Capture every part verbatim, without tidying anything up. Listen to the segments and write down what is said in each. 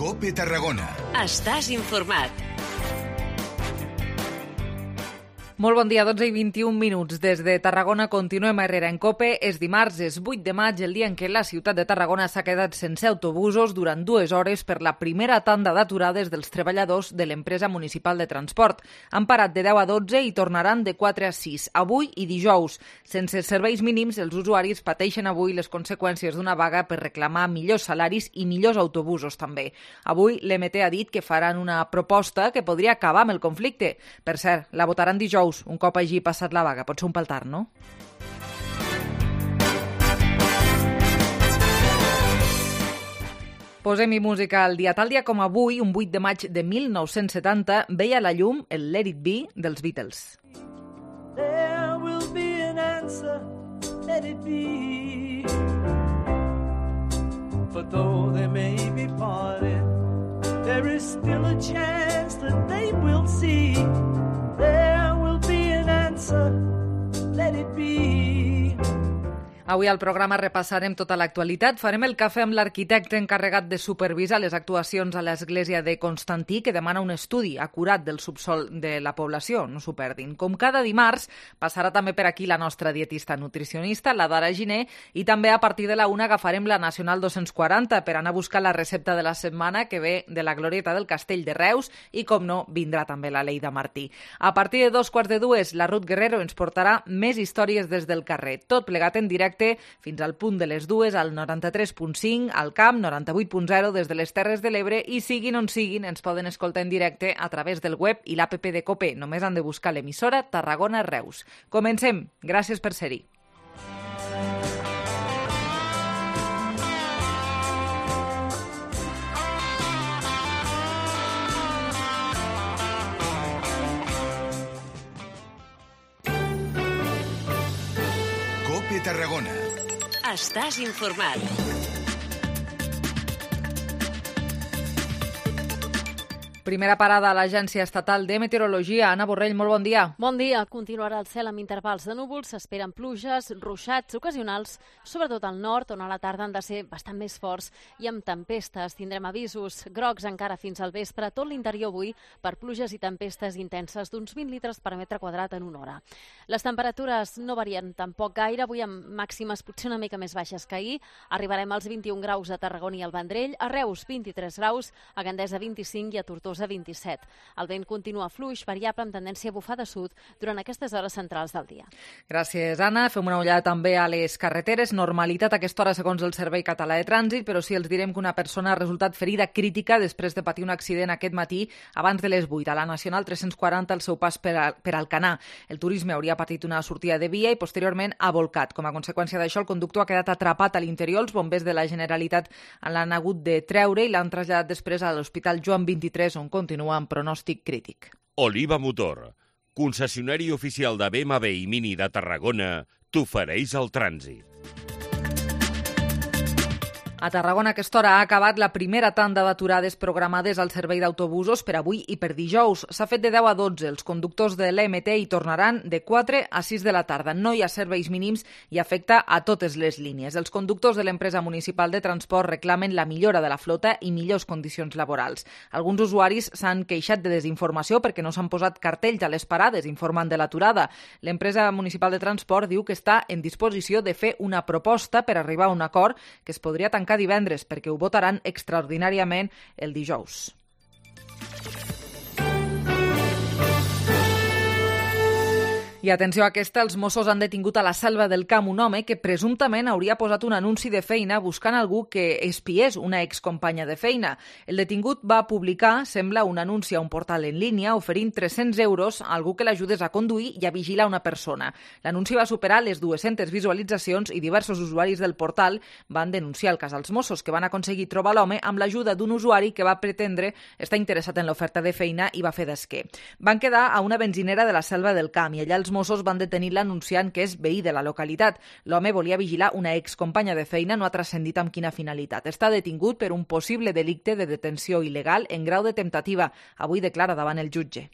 COPE Tarragona. Estàs informat. Molt bon dia, dotze i vint-i-un minuts. Des de Tarragona continuem a Herrera en COPE. És dimarts, és vuit de maig, el dia en què la ciutat de Tarragona s'ha quedat sense autobusos durant dues hores per la primera tanda d'aturades dels treballadors de l'empresa municipal de transport. Han parat de deu a dotze i tornaran de quatre a sis, avui i dijous. Sense serveis mínims, els usuaris pateixen avui les conseqüències d'una vaga per reclamar millors salaris i millors autobusos també. Avui l'E M T ha dit que faran una proposta que podria acabar amb el conflicte. Per cert, la votaran dijous, un cop hagi passat la vaga. Pot ser un paltar, no? Posem-hi música al dia. Tal dia com avui, un vuit de maig de mil nou-cents setanta, veia la llum el Let It Be dels Beatles. There will be an answer, let it be. For though they may be parted, there is still a chance that they will see. There will be an answer, let it be. Avui al programa repassarem tota l'actualitat. Farem el cafè amb l'arquitecte encarregat de supervisar les actuacions a l'església de Constantí, que demana un estudi acurat del subsol de la població, no s'ho perdin. Com cada dimarts, passarà també per aquí la nostra dietista nutricionista, la Dara Giner, i també a partir de la una agafarem la Nacional dos-cents quaranta per anar a buscar la recepta de la setmana que ve de la Glorieta del Castell de Reus i, com no, vindrà també la Leida Martí. A partir de dos quarts de dues, la Ruth Guerrero ens portarà més històries des del carrer, tot plegat en directe fins al punt de les dues al noranta-tres punt cinc, al Camp, noranta-vuit punt zero des de les Terres de l'Ebre i siguin on siguin, ens poden escoltar en directe a través del web i l'app de COPE. Només han de buscar l'emissora Tarragona Reus. Comencem. Gràcies per ser-hi. COPE Tarragona. Estàs informat. Primera parada a l'Agència Estatal de Meteorologia. Anna Borrell, molt bon dia. Bon dia. Continuarà el cel amb intervals de núvols. S'esperen pluges, ruixats ocasionals, sobretot al nord, on a la tarda han de ser bastant més forts i amb tempestes. Tindrem avisos grocs encara fins al vespre a tot l'interior avui per pluges i tempestes intenses d'uns vint litres per metre quadrat en una hora. Les temperatures no varien tampoc gaire, avui amb màximes potser una mica més baixes que ahir. Arribarem als vint-i-un graus a Tarragona i al Vendrell, a Reus vint-i-tres graus, a Gandesa vint-i-cinc i a Tortosa a vint-i-set. El vent continua fluix, variable amb tendència a bufar de sud durant aquestes hores centrals del dia. Gràcies, Anna. Fem una ullada també a les carreteres. Normalitat a aquesta hora segons el Servei Català de Trànsit, però sí els direm que una persona ha resultat ferida crítica després de patir un accident aquest matí abans de les vuit a la Nacional tres-cents quaranta al seu pas per, a, per Alcanar. El turisme hauria patit una sortida de via i posteriorment ha volcat. Com a conseqüència d'això, el conductor ha quedat atrapat a l'interior. Els bombers de la Generalitat l'han hagut de treure i l'han traslladat després a l'Hospital Joan vint-i-tres, on continua amb pronòstic crític. Oliva Motor, concessionari oficial de B M W i Mini de Tarragona, t'ofereix el trànsit. A Tarragona a aquesta hora ha acabat la primera tanda d'aturades programades al servei d'autobusos per avui i per dijous. S'ha fet de deu a dotze. Els conductors de l'E M T hi tornaran de quatre a sis de la tarda. No hi ha serveis mínims i afecta a totes les línies. Els conductors de l'empresa municipal de transport reclamen la millora de la flota i millors condicions laborals. Alguns usuaris s'han queixat de desinformació perquè no s'han posat cartells a les parades informant de l'aturada. L'empresa municipal de transport diu que està en disposició de fer una proposta per arribar a un acord que es podria tancar divendres perquè ho votaran extraordinàriament el dijous. I atenció a aquesta, els Mossos han detingut a la Selva del Camp un home que presumptament hauria posat un anunci de feina buscant algú que espiés una excompanya de feina. El detingut va publicar, sembla, un anunci a un portal en línia oferint tres-cents euros a algú que l'ajudés a conduir i a vigilar una persona. L'anunci va superar les dues-centes visualitzacions i diversos usuaris del portal van denunciar el cas als Mossos, que van aconseguir trobar l'home amb l'ajuda d'un usuari que va pretendre estar interessat en l'oferta de feina i va fer d'esquer. Van quedar a una benzinera de la Selva del Camp i allà els Mossos van detenir l'anunciant, que és veí de la localitat. L'home volia vigilar una excompanya de feina, no ha transcendit amb quina finalitat. Està detingut per un possible delicte de detenció il·legal en grau de temptativa. Avui declara davant el jutge.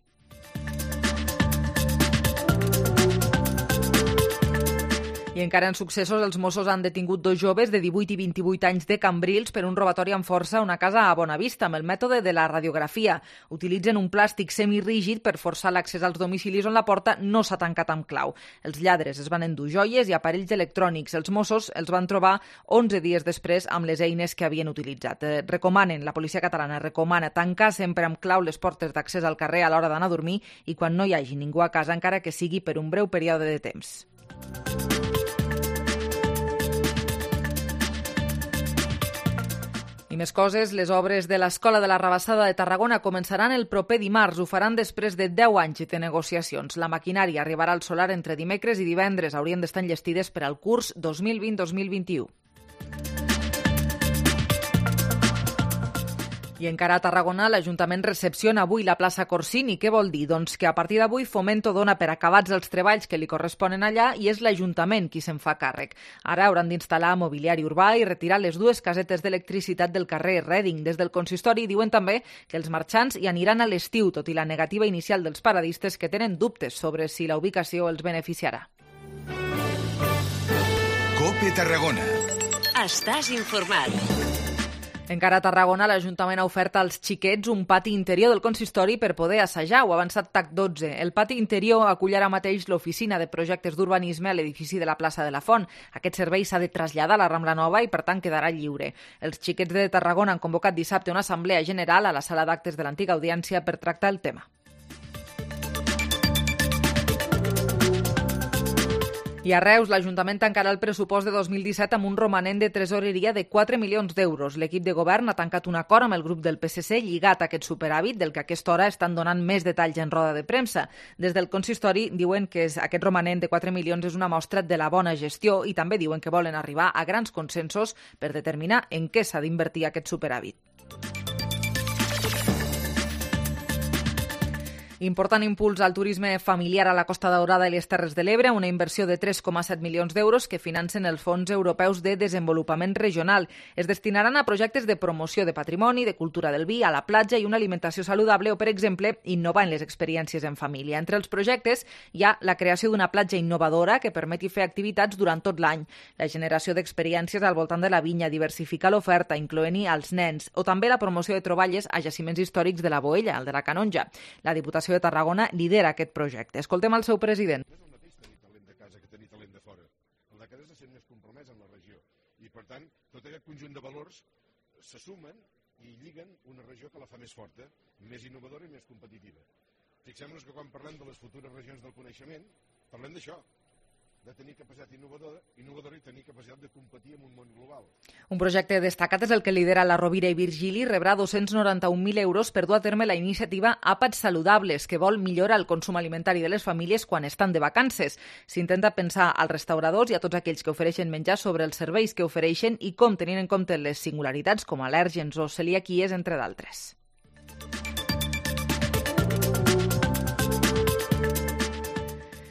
I I encara en successos, els Mossos han detingut dos joves de divuit i vint-i-vuit anys de Cambrils per un robatori amb força a una casa a Bonavista amb el mètode de la radiografia. Utilitzen un plàstic semirígid per forçar l'accés als domicilis on la porta no s'ha tancat amb clau. Els lladres es van endur joies i aparells electrònics. Els Mossos els van trobar onze dies després amb les eines que havien utilitzat. Eh, recomanen, la policia catalana recomana tancar sempre amb clau les portes d'accés al carrer a l'hora d'anar a dormir i quan no hi hagi ningú a casa, encara que sigui per un breu període de temps. I més coses, les obres de l'Escola de la Rabassada de Tarragona començaran el proper dimarts. Ho faran després de deu anys de negociacions. La maquinària arribarà al solar entre dimecres i divendres. Haurien d'estar enllestides per al curs dos mil vint dos mil vint-vint-u. I encara a Tarragona, l'Ajuntament recepciona avui la plaça Corsini. Què vol dir? Doncs que a partir d'avui Fomento dona per acabats els treballs que li corresponen allà i és l'Ajuntament qui se'n fa càrrec. Ara hauran d'instal·lar mobiliari urbà i retirar les dues casetes d'electricitat del carrer Reading. Des del consistori diuen també que els marxants hi aniran a l'estiu, tot i la negativa inicial dels paradistes que tenen dubtes sobre si la ubicació els beneficiarà. COPE Tarragona. Estàs informat. Encara a Tarragona, l'Ajuntament ha ofert als xiquets un pati interior del consistori per poder assajar. Ho ha avançat T A C dotze. El pati interior acull ara mateix l'oficina de projectes d'urbanisme a l'edifici de la plaça de la Font. Aquest servei s'ha de traslladar a la Rambla Nova i, per tant, quedarà lliure. Els xiquets de Tarragona han convocat dissabte una assemblea general a la sala d'actes de l'antiga audiència per tractar el tema. I a Reus, l'Ajuntament tancarà el pressupost de dos mil disset amb un romanent de tresoreria de quatre milions d'euros. L'equip de govern ha tancat un acord amb el grup del P S C lligat a aquest superàvit, del que a aquesta hora estan donant més detalls en roda de premsa. Des del consistori diuen que aquest romanent de quatre milions és una mostra de la bona gestió i també diuen que volen arribar a grans consensos per determinar en què s'ha d'invertir aquest superàvit. Important impuls al turisme familiar a la Costa Daurada i les Terres de l'Ebre, una inversió de tres coma set milions d'euros que financen els fons europeus de desenvolupament regional. Es destinaran a projectes de promoció de patrimoni, de cultura del vi, a la platja i una alimentació saludable o, per exemple, innovar en les experiències en família. Entre els projectes hi ha la creació d'una platja innovadora que permeti fer activitats durant tot l'any, la generació d'experiències al voltant de la vinya, diversificar l'oferta, incloent-hi als nens, o també la promoció de troballes a jaciments històrics de la Boella, el de la Canonja. La Diputació de Tarragona lidera aquest projecte. Escoltem el seu president. No és el mateix tenir talent de casa que tenir talent de fora. El de casa se sent més compromès amb la regió. I, per tant, tot aquest conjunt de valors se sumen i lliguen una regió que la fa més forta, més innovadora i més competitiva. Fixem-nos que quan parlem de les futures regions del coneixement, parlem d'això, de tenir capacitat innovadora, innovadora i tenir capacitat de competir en un món global. Un projecte destacat és el que lidera la Rovira i Virgili, rebrà dos-cents noranta-un mil euros per dur a terme la iniciativa Àpats Saludables, que vol millorar el consum alimentari de les famílies quan estan de vacances. S'intenta pensar als restauradors i a tots aquells que ofereixen menjar sobre els serveis que ofereixen i com tenint en compte les singularitats com al·lèrgens o celiaquies, entre d'altres.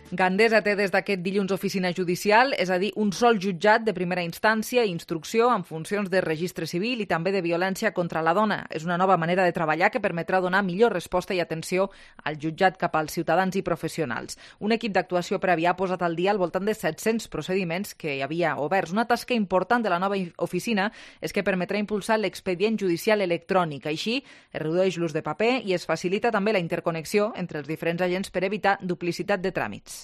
Gandesa té des d'aquest dilluns oficina judicial, és a dir, un sol jutjat de primera instància i instrucció amb funcions de registre civil i també de violència contra la dona. És una nova manera de treballar que permetrà donar millor resposta i atenció al jutjat cap als ciutadans i professionals. Un equip d'actuació prèvia ha posat al dia al voltant de set-cents procediments que hi havia oberts. Una tasca important de la nova oficina és que permetrà impulsar l'expedient judicial electrònic. Així, es redueix l'ús de paper i es facilita també la interconnexió entre els diferents agents per evitar duplicitat de tràmits.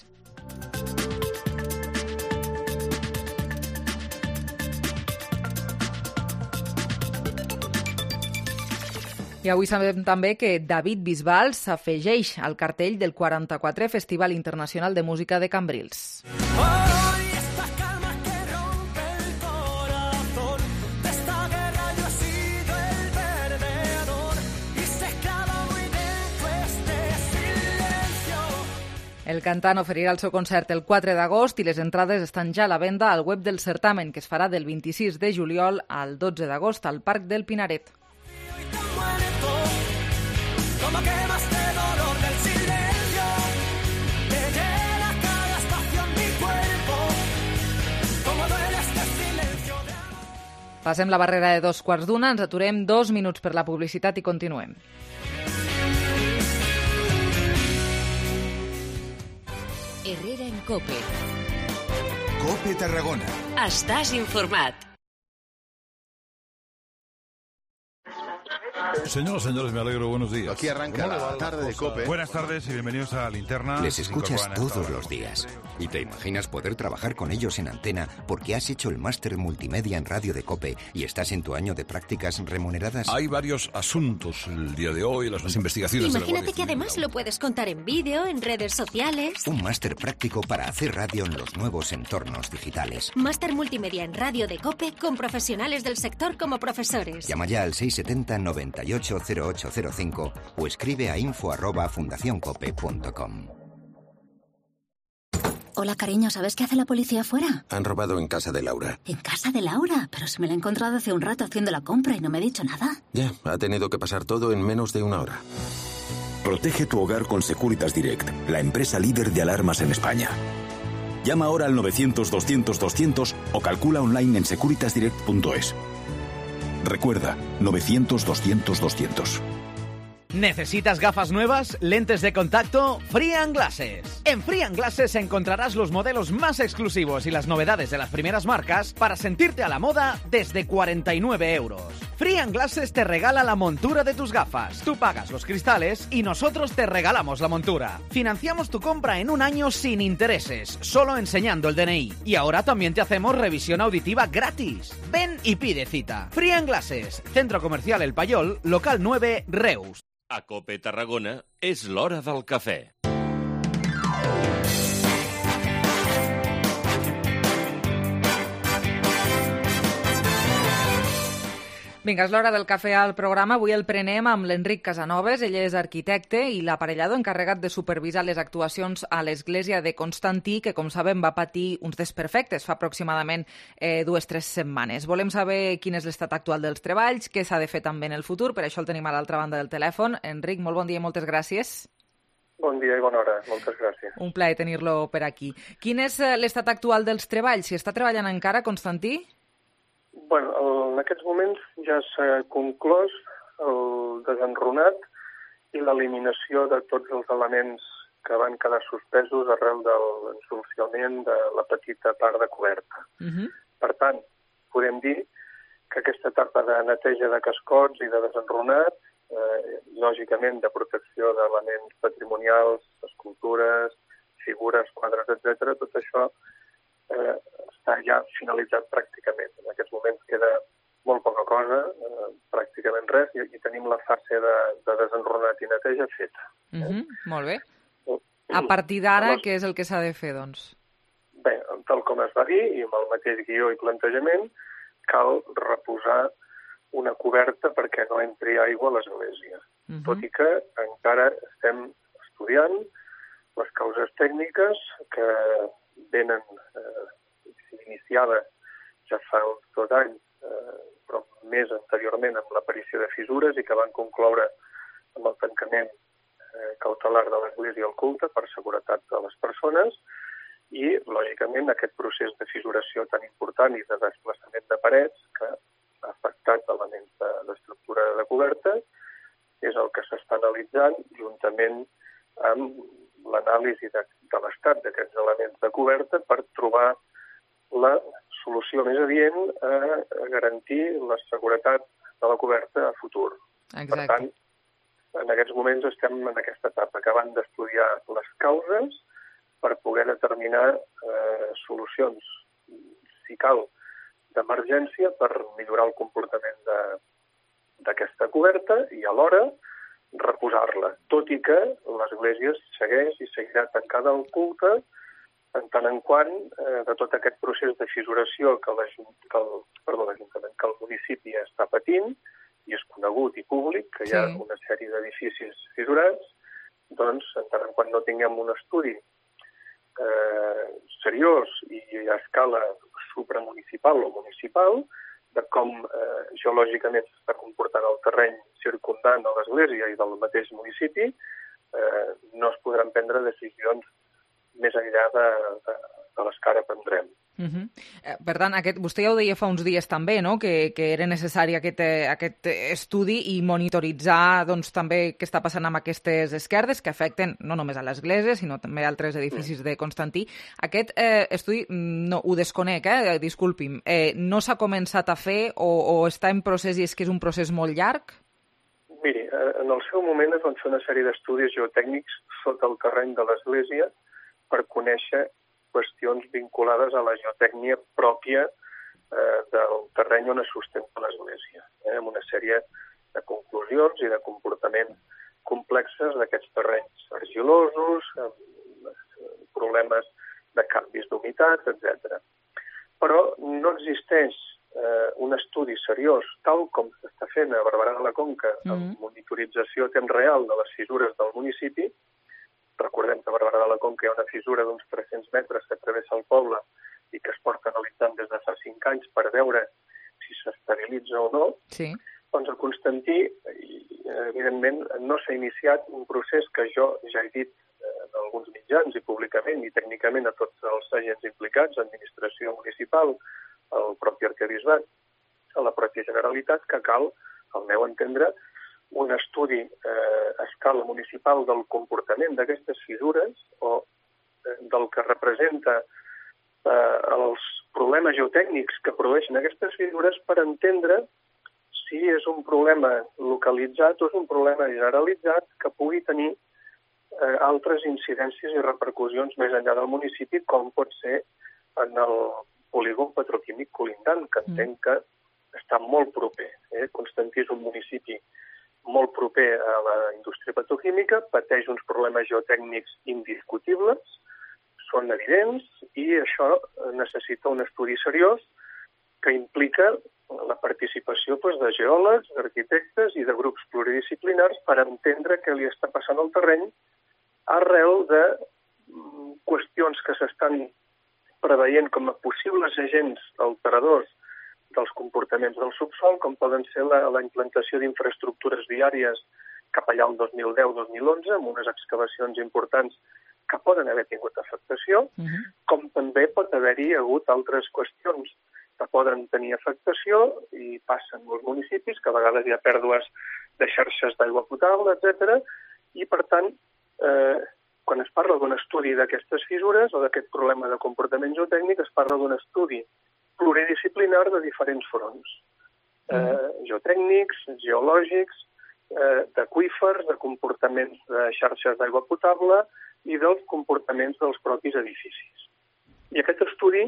I avui sabem també que David Bisbal s'afegeix al cartell del quaranta-quatrè Festival Internacional de Música de Cambrils. El cantant oferirà el seu concert el quatre d'agost i les entrades estan ja a la venda al web del certamen, que es farà del vint-i-sis de juliol al dotze d'agost al Parc del Pinaret. Passem la barrera de dos quarts d'una, ens aturem dos minuts per la publicitat i continuem. Herrera en COPE. COPE Tarragona. Estàs informat. Señoras, señores, me alegro. Buenos días. Aquí arranca la tarde de COPE. Buenas tardes y bienvenidos a Linterna. Les escuchas todos los días y te imaginas poder trabajar con ellos en antena porque has hecho el máster multimedia en radio de COPE y estás en tu año de prácticas remuneradas. Hay varios asuntos el día de hoy, las investigaciones. Imagínate que además lo puedes contar en vídeo, en redes sociales. Un máster práctico para hacer radio en los nuevos entornos digitales. Máster multimedia en radio de COPE con profesionales del sector como profesores. Llama ya al seis siete cero, noventa y ocho, cero ocho cero cinco o escribe a info arroba fundacioncope punto com. Hola, cariño, ¿sabes qué hace la policía afuera? Han robado en casa de Laura. ¿En casa de Laura? Pero si me la he encontrado hace un rato haciendo la compra y no me ha dicho nada. Ya, ha tenido que pasar todo en menos de una hora. Protege tu hogar con Securitas Direct, la empresa líder de alarmas en España. Llama ahora al novecientos, doscientos, doscientos o calcula online en securitas direct punto es. Recuerda, novecientos, doscientos, doscientos. ¿Necesitas gafas nuevas? ¿Lentes de contacto? Free and Glasses. En Free and Glasses encontrarás los modelos más exclusivos y las novedades de las primeras marcas para sentirte a la moda desde cuarenta y nueve euros. Free and Glasses te regala la montura de tus gafas. Tú pagas los cristales y nosotros te regalamos la montura. Financiamos tu compra en un año sin intereses, solo enseñando el D N I. Y ahora también te hacemos revisión auditiva gratis. Ven y pide cita. Free and Glasses, Centro Comercial El Payol, local nueve, Reus. A COPE Tarragona és l'hora del cafè. Vinga, és l'hora del cafè al programa. Avui el prenem amb l'Enric Casanovas. Ell és arquitecte i l'aparellador encarregat de supervisar les actuacions a l'església de Constantí, que, com sabem, va patir uns desperfectes fa aproximadament eh, dues o tres setmanes. Volem saber quin és l'estat actual dels treballs, què s'ha de fer també en el futur. Per això el tenim a l'altra banda del telèfon. Enric, molt bon dia i moltes gràcies. Bon dia i bona hora. Moltes gràcies. Un plaer tenir-lo per aquí. Quin és l'estat actual dels treballs? Si està treballant encara, Constantí? Bueno, en aquests moments ja s'ha conclòs el desenrunat i l'eliminació de tots els elements que van quedar suspesos arrel de l'ensolciament de la petita part de coberta. Uh-huh. Per tant, podem dir que aquesta etapa de neteja de cascots i de desenrunat, eh, lògicament de protecció d'elements patrimonials, escultures, figures, quadres, etcètera, tot això eh, està ja finalitzat pràcticament. En aquests moments queda molt poca cosa, eh, pràcticament res, i, i tenim la fase de, de desenrunat i neteja feta. Uh -huh, molt bé. A partir d'ara, què és el que s'ha de fer, doncs? Bé, tal com es va dir, i amb el mateix guió i plantejament, cal reposar una coberta perquè no entri aigua a l'església. Uh -huh. Tot i que encara estem estudiant les causes tècniques que venen, eh, s'iniciava ja fa uns dos anys, eh, però més anteriorment amb l'aparició de fissures i que van concloure amb el tancament eh, cautelar de l'església al culte per seguretat de les persones i, lògicament, aquest procés de fissuració tan important i de desplaçament de parets que ha afectat elements d'estructura de, de coberta és el que s'està analitzant juntament amb l'anàlisi de, de l'estat d'aquests elements de coberta per trobar la solució més adient a, a garantir la seguretat de la coberta a futur. Exacte. Per tant, en aquests moments estem en aquesta etapa, acabant d'estudiar les causes per poder determinar eh, solucions, si cal, d'emergència per millorar el comportament d'aquesta coberta i alhora reposar-la, tot i que l'església segueix i seguirà tancada al culte en tant en quant eh, de tot aquest procés de fissuració que l'Ajuntament, que el municipi està patint, i és conegut i públic, que hi ha sí. una sèrie d'edificis fissurats, doncs, en tant en quant no tinguem un estudi eh, seriós i a escala supramunicipal o municipal, de com eh, geològicament s'està comportant el terreny circundant a l'església i del mateix municipi, eh, no es podran prendre decisions més enllà de, de, de les que ara prendrem. Uh-huh. Per tant, aquest, vostè ja ho deia fa uns dies també, no? que, que era necessari aquest, aquest estudi i monitoritzar doncs, també què està passant amb aquestes esquerdes que afecten no només a l'església, sinó també a altres edificis de Constantí. Aquest eh, estudi, no, ho desconec, eh? disculpi'm, eh, no s'ha començat a fer o, o està en procés i és que és un procés molt llarg? Miri, en el seu moment es van fer una sèrie d'estudis geotècnics sota el terreny de l'església per conèixer qüestions vinculades a la geotècnia pròpia eh, del terreny on es sustenta l'església, eh, amb una sèrie de conclusions i de comportaments complexes d'aquests terrenys argilosos, amb problemes de canvis d'humitat, etcètera. Però no existeix eh, un estudi seriós, tal com s'està fent a Barberà de la Conca, amb mm-hmm. monitorització a temps real de les fissures del municipi. Recordem que a Barberà de la Conca hi ha una fissura d'uns tres-cents metres que travessa el poble i que es porta analitzant des de fa cinc anys per veure si s'estabilitza o no. Sí. Doncs a Constantí, evidentment, no s'ha iniciat un procés que jo ja he dit en alguns mitjans i públicament i tècnicament a tots els agents implicats, administració municipal, el propi arquebisbat, a la pròpia Generalitat, que cal, al meu entendre, un estudi eh, a escala municipal del comportament d'aquestes fissures o eh, del que representa eh, els problemes geotècnics que produeixen aquestes fissures per entendre si és un problema localitzat o és un problema generalitzat que pugui tenir eh, altres incidències i repercussions més enllà del municipi, com pot ser en el polígon petroquímic colindant, que entenc que està molt proper. Eh? Constantí és un municipi molt proper a la indústria petroquímica, pateix uns problemes geotècnics indiscutibles, són evidents, i això necessita un estudi seriós que implica la participació doncs, de geòlegs, d'arquitectes i de grups pluridisciplinars per entendre què li està passant al terreny arrel de qüestions que s'estan preveient com a possibles agents alteradors dels comportaments del subsol, com poden ser la, la implantació d'infraestructures viàries cap allà al dos mil deu dos mil onze, amb unes excavacions importants que poden haver tingut afectació, uh-huh. com també pot haver-hi hagut altres qüestions que poden tenir afectació i passen molts municipis, que a vegades hi ha pèrdues de xarxes d'aigua potable, etcètera. I, per tant, eh, quan es parla d'un estudi d'aquestes fissures o d'aquest problema de comportament geotècnic, es parla d'un estudi pluridisciplinar de diferents fronts, eh, geotècnics, geològics, eh, d'aqüífers, de comportaments de xarxes d'aigua potable i dels comportaments dels propis edificis. I aquest estudi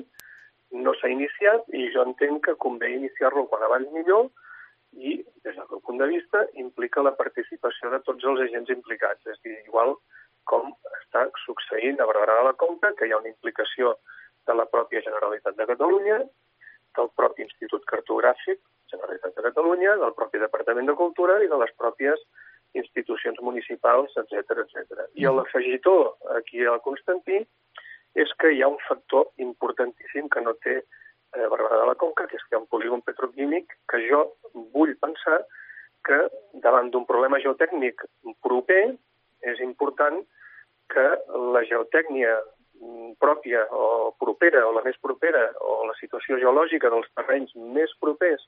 no s'ha iniciat i jo entenc que convé iniciar-lo quan abans millor i, des del meu punt de vista, implica la participació de tots els agents implicats. És a dir, igual com està succeint a Barberà de la Conca, que hi ha una implicació de la pròpia Generalitat de Catalunya, del propi Institut Cartogràfic, Generalitat de Catalunya, del propi Departament de Cultura i de les pròpies institucions municipals, etcètera, etcètera. I l'afegitó aquí a Constantí és que hi ha un factor importantíssim que no té eh, Barberà de la Conca, que és que hi ha un polígon petroquímic que jo vull pensar que davant d'un problema geotècnic proper és important que la geotècnia pròpia o propera o la més propera o la situació geològica dels terrenys més propers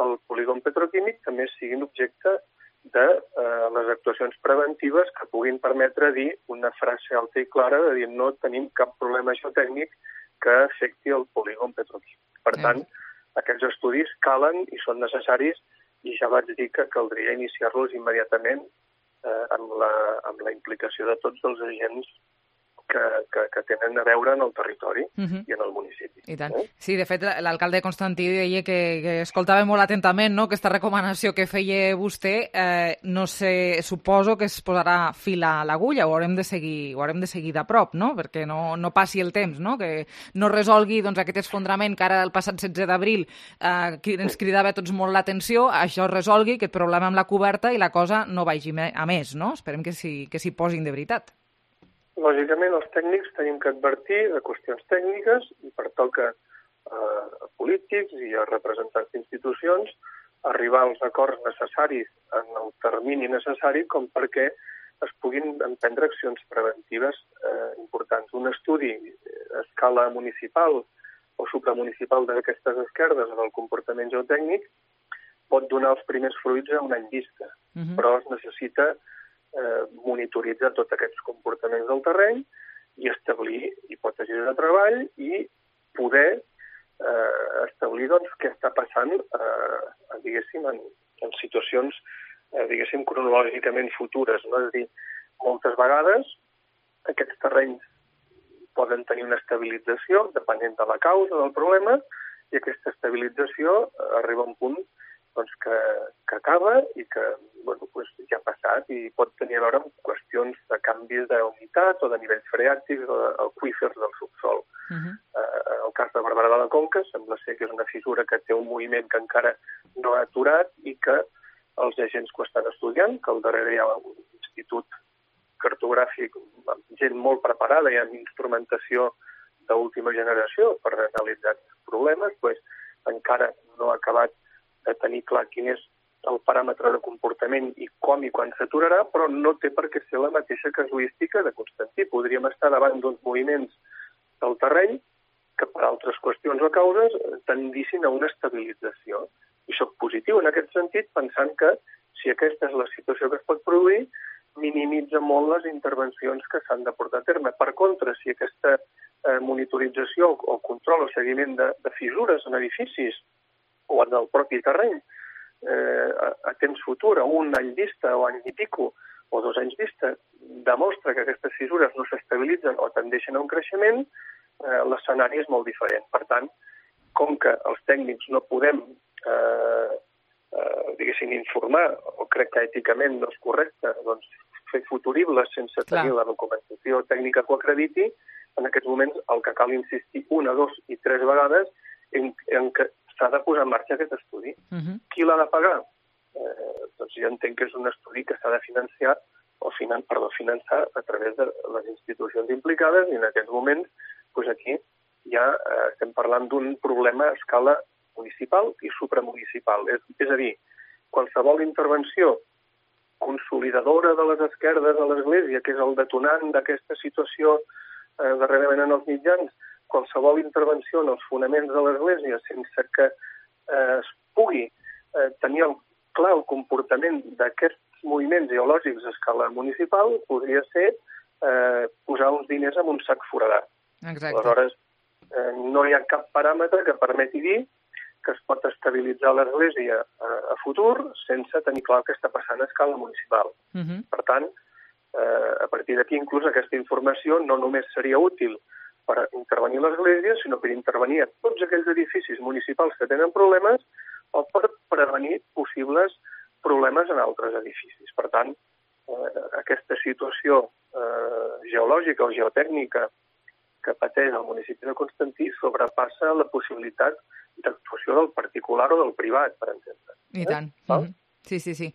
al polígon petroquímic també siguin objecte de eh, les actuacions preventives que puguin permetre dir una frase alta i clara de dir no tenim cap problema geotècnic que afecti el polígon petroquímic. Per tant, aquests estudis calen i són necessaris i ja vaig dir que caldria iniciar-los immediatament eh, amb, la, amb la implicació de tots els agents que, que, que tenen a veure en el territori uh-huh. i en el municipi. I tant. Eh? Sí, de fet, l'alcalde de Constantí deia que, que escoltava molt atentament, no?, aquesta recomanació que feia vostè. Eh, no sé, suposo que es posarà fil a l'agulla, ho haurem de seguir, ho haurem de seguir de prop, no?, perquè no, no passi el temps, no?, que no resolgui doncs, aquest esfondrament que ara el passat setze d'abril eh, ens cridava a tots molt l'atenció, això es resolgui, aquest problema amb la coberta i la cosa no vagi a més, no? Esperem que s'hi que s'hi posin de veritat. Lògicament, els tècnics tenim que advertir de qüestions tècniques i pertoca eh, a polítics i a representants d'institucions arribar als acords necessaris en el termini necessari com perquè es puguin emprendre accions preventives eh, importants. Un estudi a escala municipal o supramunicipal d'aquestes esquerdes o del comportament geotècnic pot donar els primers fruits a un any vista, uh-huh. però es necessita eh, monitoritzar tots aquests comportaments del terreny i establir hipòtesis de treball i poder eh, establir doncs, què està passant eh, diguéssim, en, en situacions eh, diguéssim, cronològicament futures. No? És a dir, moltes vegades aquests terrenys poden tenir una estabilització depenent de la causa del problema i aquesta estabilització arriba a un punt doncs, que, que acaba i que bueno, pues, ja ha passat i pot tenir a veure amb qüestions de canvis d'humitat o de nivells freàtics o d'aqüífers del subsol. Uh-huh. Eh, el cas de Barberà de la Conca sembla ser que és una fissura que té un moviment que encara no ha aturat i que els agents que ho estan estudiant, que al darrere hi ha un institut cartogràfic amb gent molt preparada i amb instrumentació d'última generació per analitzar aquests problemes, doncs encara no ha acabat de tenir clar quin és el paràmetre de comportament i com i quan s'aturarà, però no té per què ser la mateixa casuística de Constantí. Podríem estar davant d'uns moviments del terreny que per altres qüestions o causes tendissin a una estabilització. I soc positiu en aquest sentit, pensant que si aquesta és la situació que es pot produir, minimitza molt les intervencions que s'han de portar a terme. Per contra, si aquesta eh, monitorització o control o seguiment de, de fissures en edificis o en el propi terreny eh, a, a temps futur, a un any vista o any i pico, o dos anys vista, demostra que aquestes fissures no s'estabilitzen o tendeixen a un creixement, eh, l'escenari és molt diferent. Per tant, com que els tècnics no podem eh, eh, diguéssim, informar, o crec que èticament no és correcte, doncs fer futuribles sense tenir Clar. la documentació tècnica que ho acrediti, en aquests moments el que cal insistir una, dos i tres vegades en, en que s'ha de posar en marxa aquest estudi. Uh-huh. Qui l'ha de pagar? Eh, doncs jo entenc que és un estudi que s'ha de financiar o finan, perdó, finançar a través de les institucions implicades i en aquests moments doncs aquí ja eh, estem parlant d'un problema a escala municipal i supramunicipal. És, és a dir, qualsevol intervenció consolidadora de les esquerdes a l'Església, que és el detonant d'aquesta situació eh, darrerament en els mitjans, qualsevol intervenció en els fonaments de l'Església sense que eh, es pugui eh, tenir el, clar el comportament d'aquests moviments geològics a escala municipal podria ser eh, posar uns diners en un sac foradat. Exacte. Aleshores, eh, no hi ha cap paràmetre que permeti dir que es pot estabilitzar l'Església a, a futur sense tenir clar què està passant a escala municipal. Uh-huh. Per tant, eh, a partir d'aquí, inclús aquesta informació no només seria útil per intervenir l'Església, sinó per intervenir a tots aquells edificis municipals que tenen problemes o per prevenir possibles problemes en altres edificis. Per tant, eh, aquesta situació eh, geològica o geotècnica que pateix el municipi de Constantí sobrepassa la possibilitat d'actuació del particular o del privat, per entendre. I tant. Eh? Mm-hmm. Sí, sí, sí.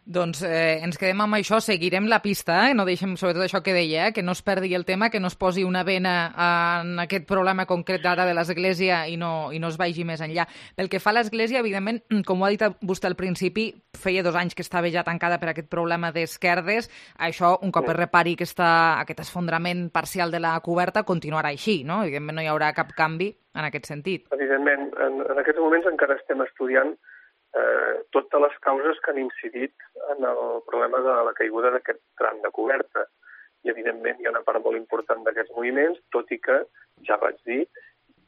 Doncs eh, ens quedem amb això, seguirem la pista, eh? No deixem, sobretot això que deia, eh? Que no es perdi el tema, que no es posi una vena en aquest problema concret ara de l'Església i no, i no es vagi més enllà. Pel que fa a l'Església, evidentment, com ho ha dit vostè al principi, feia dos anys que estava ja tancada per aquest problema d'esquerdes. Això, un cop es repari aquesta, aquest esfondrament parcial de la coberta, continuarà així, no? Evidentment no hi haurà cap canvi en aquest sentit. Evidentment, en, en aquests moments encara estem estudiant Eh, totes les causes que han incidit en el problema de la caiguda d'aquest tram de coberta. I, evidentment, hi ha una part molt important d'aquests moviments, tot i que, ja vaig dir,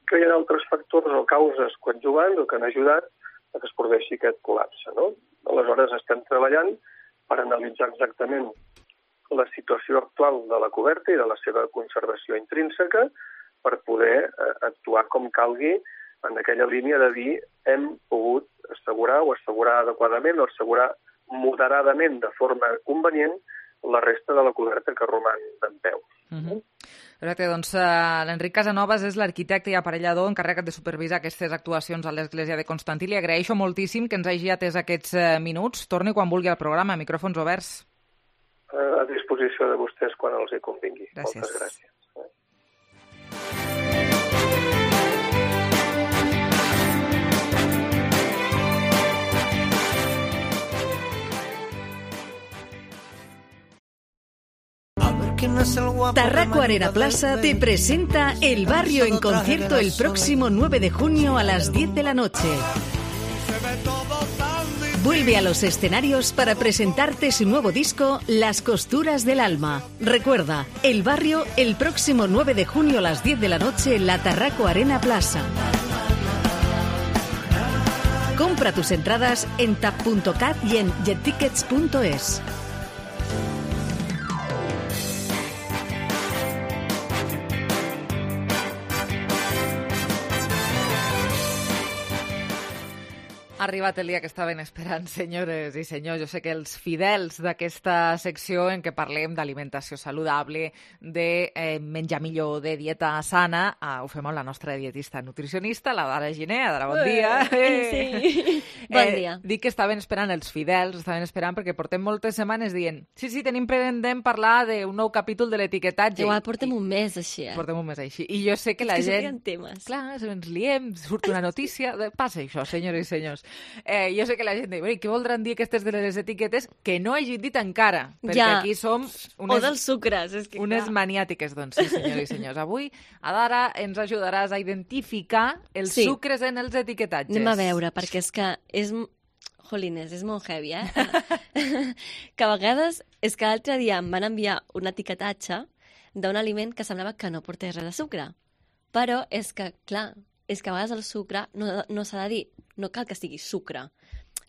que hi ha altres factors o causes coadjuvants o que han ajudat a que es produeixi aquest col·lapse. No? Aleshores, estem treballant per analitzar exactament la situació actual de la coberta i de la seva conservació intrínseca per poder eh, actuar com calgui en aquella línia de dir hem pogut assegurar o assegurar adequadament o assegurar moderadament de forma convenient la resta de la coberta que roman d'en peu. Uh-huh. Perfecte, doncs uh, l'Enric Casanovas és l'arquitecte i aparellador encarregat de supervisar aquestes actuacions a l'Església de Constantí. Li agraeixo moltíssim que ens hagi atès aquests uh, minuts. Torni quan vulgui al programa, micròfons oberts. Uh, a disposició de vostès quan els hi convingui. Gràcies. Moltes gràcies. quién es el guapo. Tarraco Arena Plaza te presenta El Barrio en concierto el próximo nueve de junio a las diez de la noche. Vuelve a los escenarios para presentarte su nuevo disco Las costuras del alma. Recuerda, El Barrio el próximo nueve de junio a las diez de la noche en la Tarraco Arena Plaza. Compra tus entradas en tap punto cat y en jettickets punto es. Ha arribat el dia que estaven esperant, senyores i senyors. Jo sé que els fidels d'aquesta secció en què parlem d'alimentació saludable, de eh, menjar millor, de dieta sana, eh, ho fem amb la nostra dietista nutricionista, la Dara Giner. Dara, bon dia. Eh, sí, bon dia. Eh, dic que estaven esperant els fidels, estaven esperant perquè portem moltes setmanes dient sí, sí, tenim pendent parlar d'un nou capítol de l'etiquetatge. Igual portem un mes així, eh? Portem un mes així. I jo sé que la és que gent... temes. Clar, ens liem, surt una notícia... Passa això, senyores i senyors. Eh, jo sé que la gent diu, què voldran dir aquestes de les etiquetes que no hagin dit encara? Perquè ja. aquí som unes, o dels sucres, és que unes clar. maniàtiques, doncs, sí, senyors i senyors. Avui, Adara, ens ajudaràs a identificar els sí. sucres en els etiquetatges. Anem a veure, perquè és que és... Jolines, és molt heavy, eh? Que a vegades, és que l'altre dia em van enviar un etiquetatge d'un aliment que semblava que no portés res de sucre. Però és que, clar, és que a vegades el sucre no, no s'ha de dir, no cal que sigui sucre.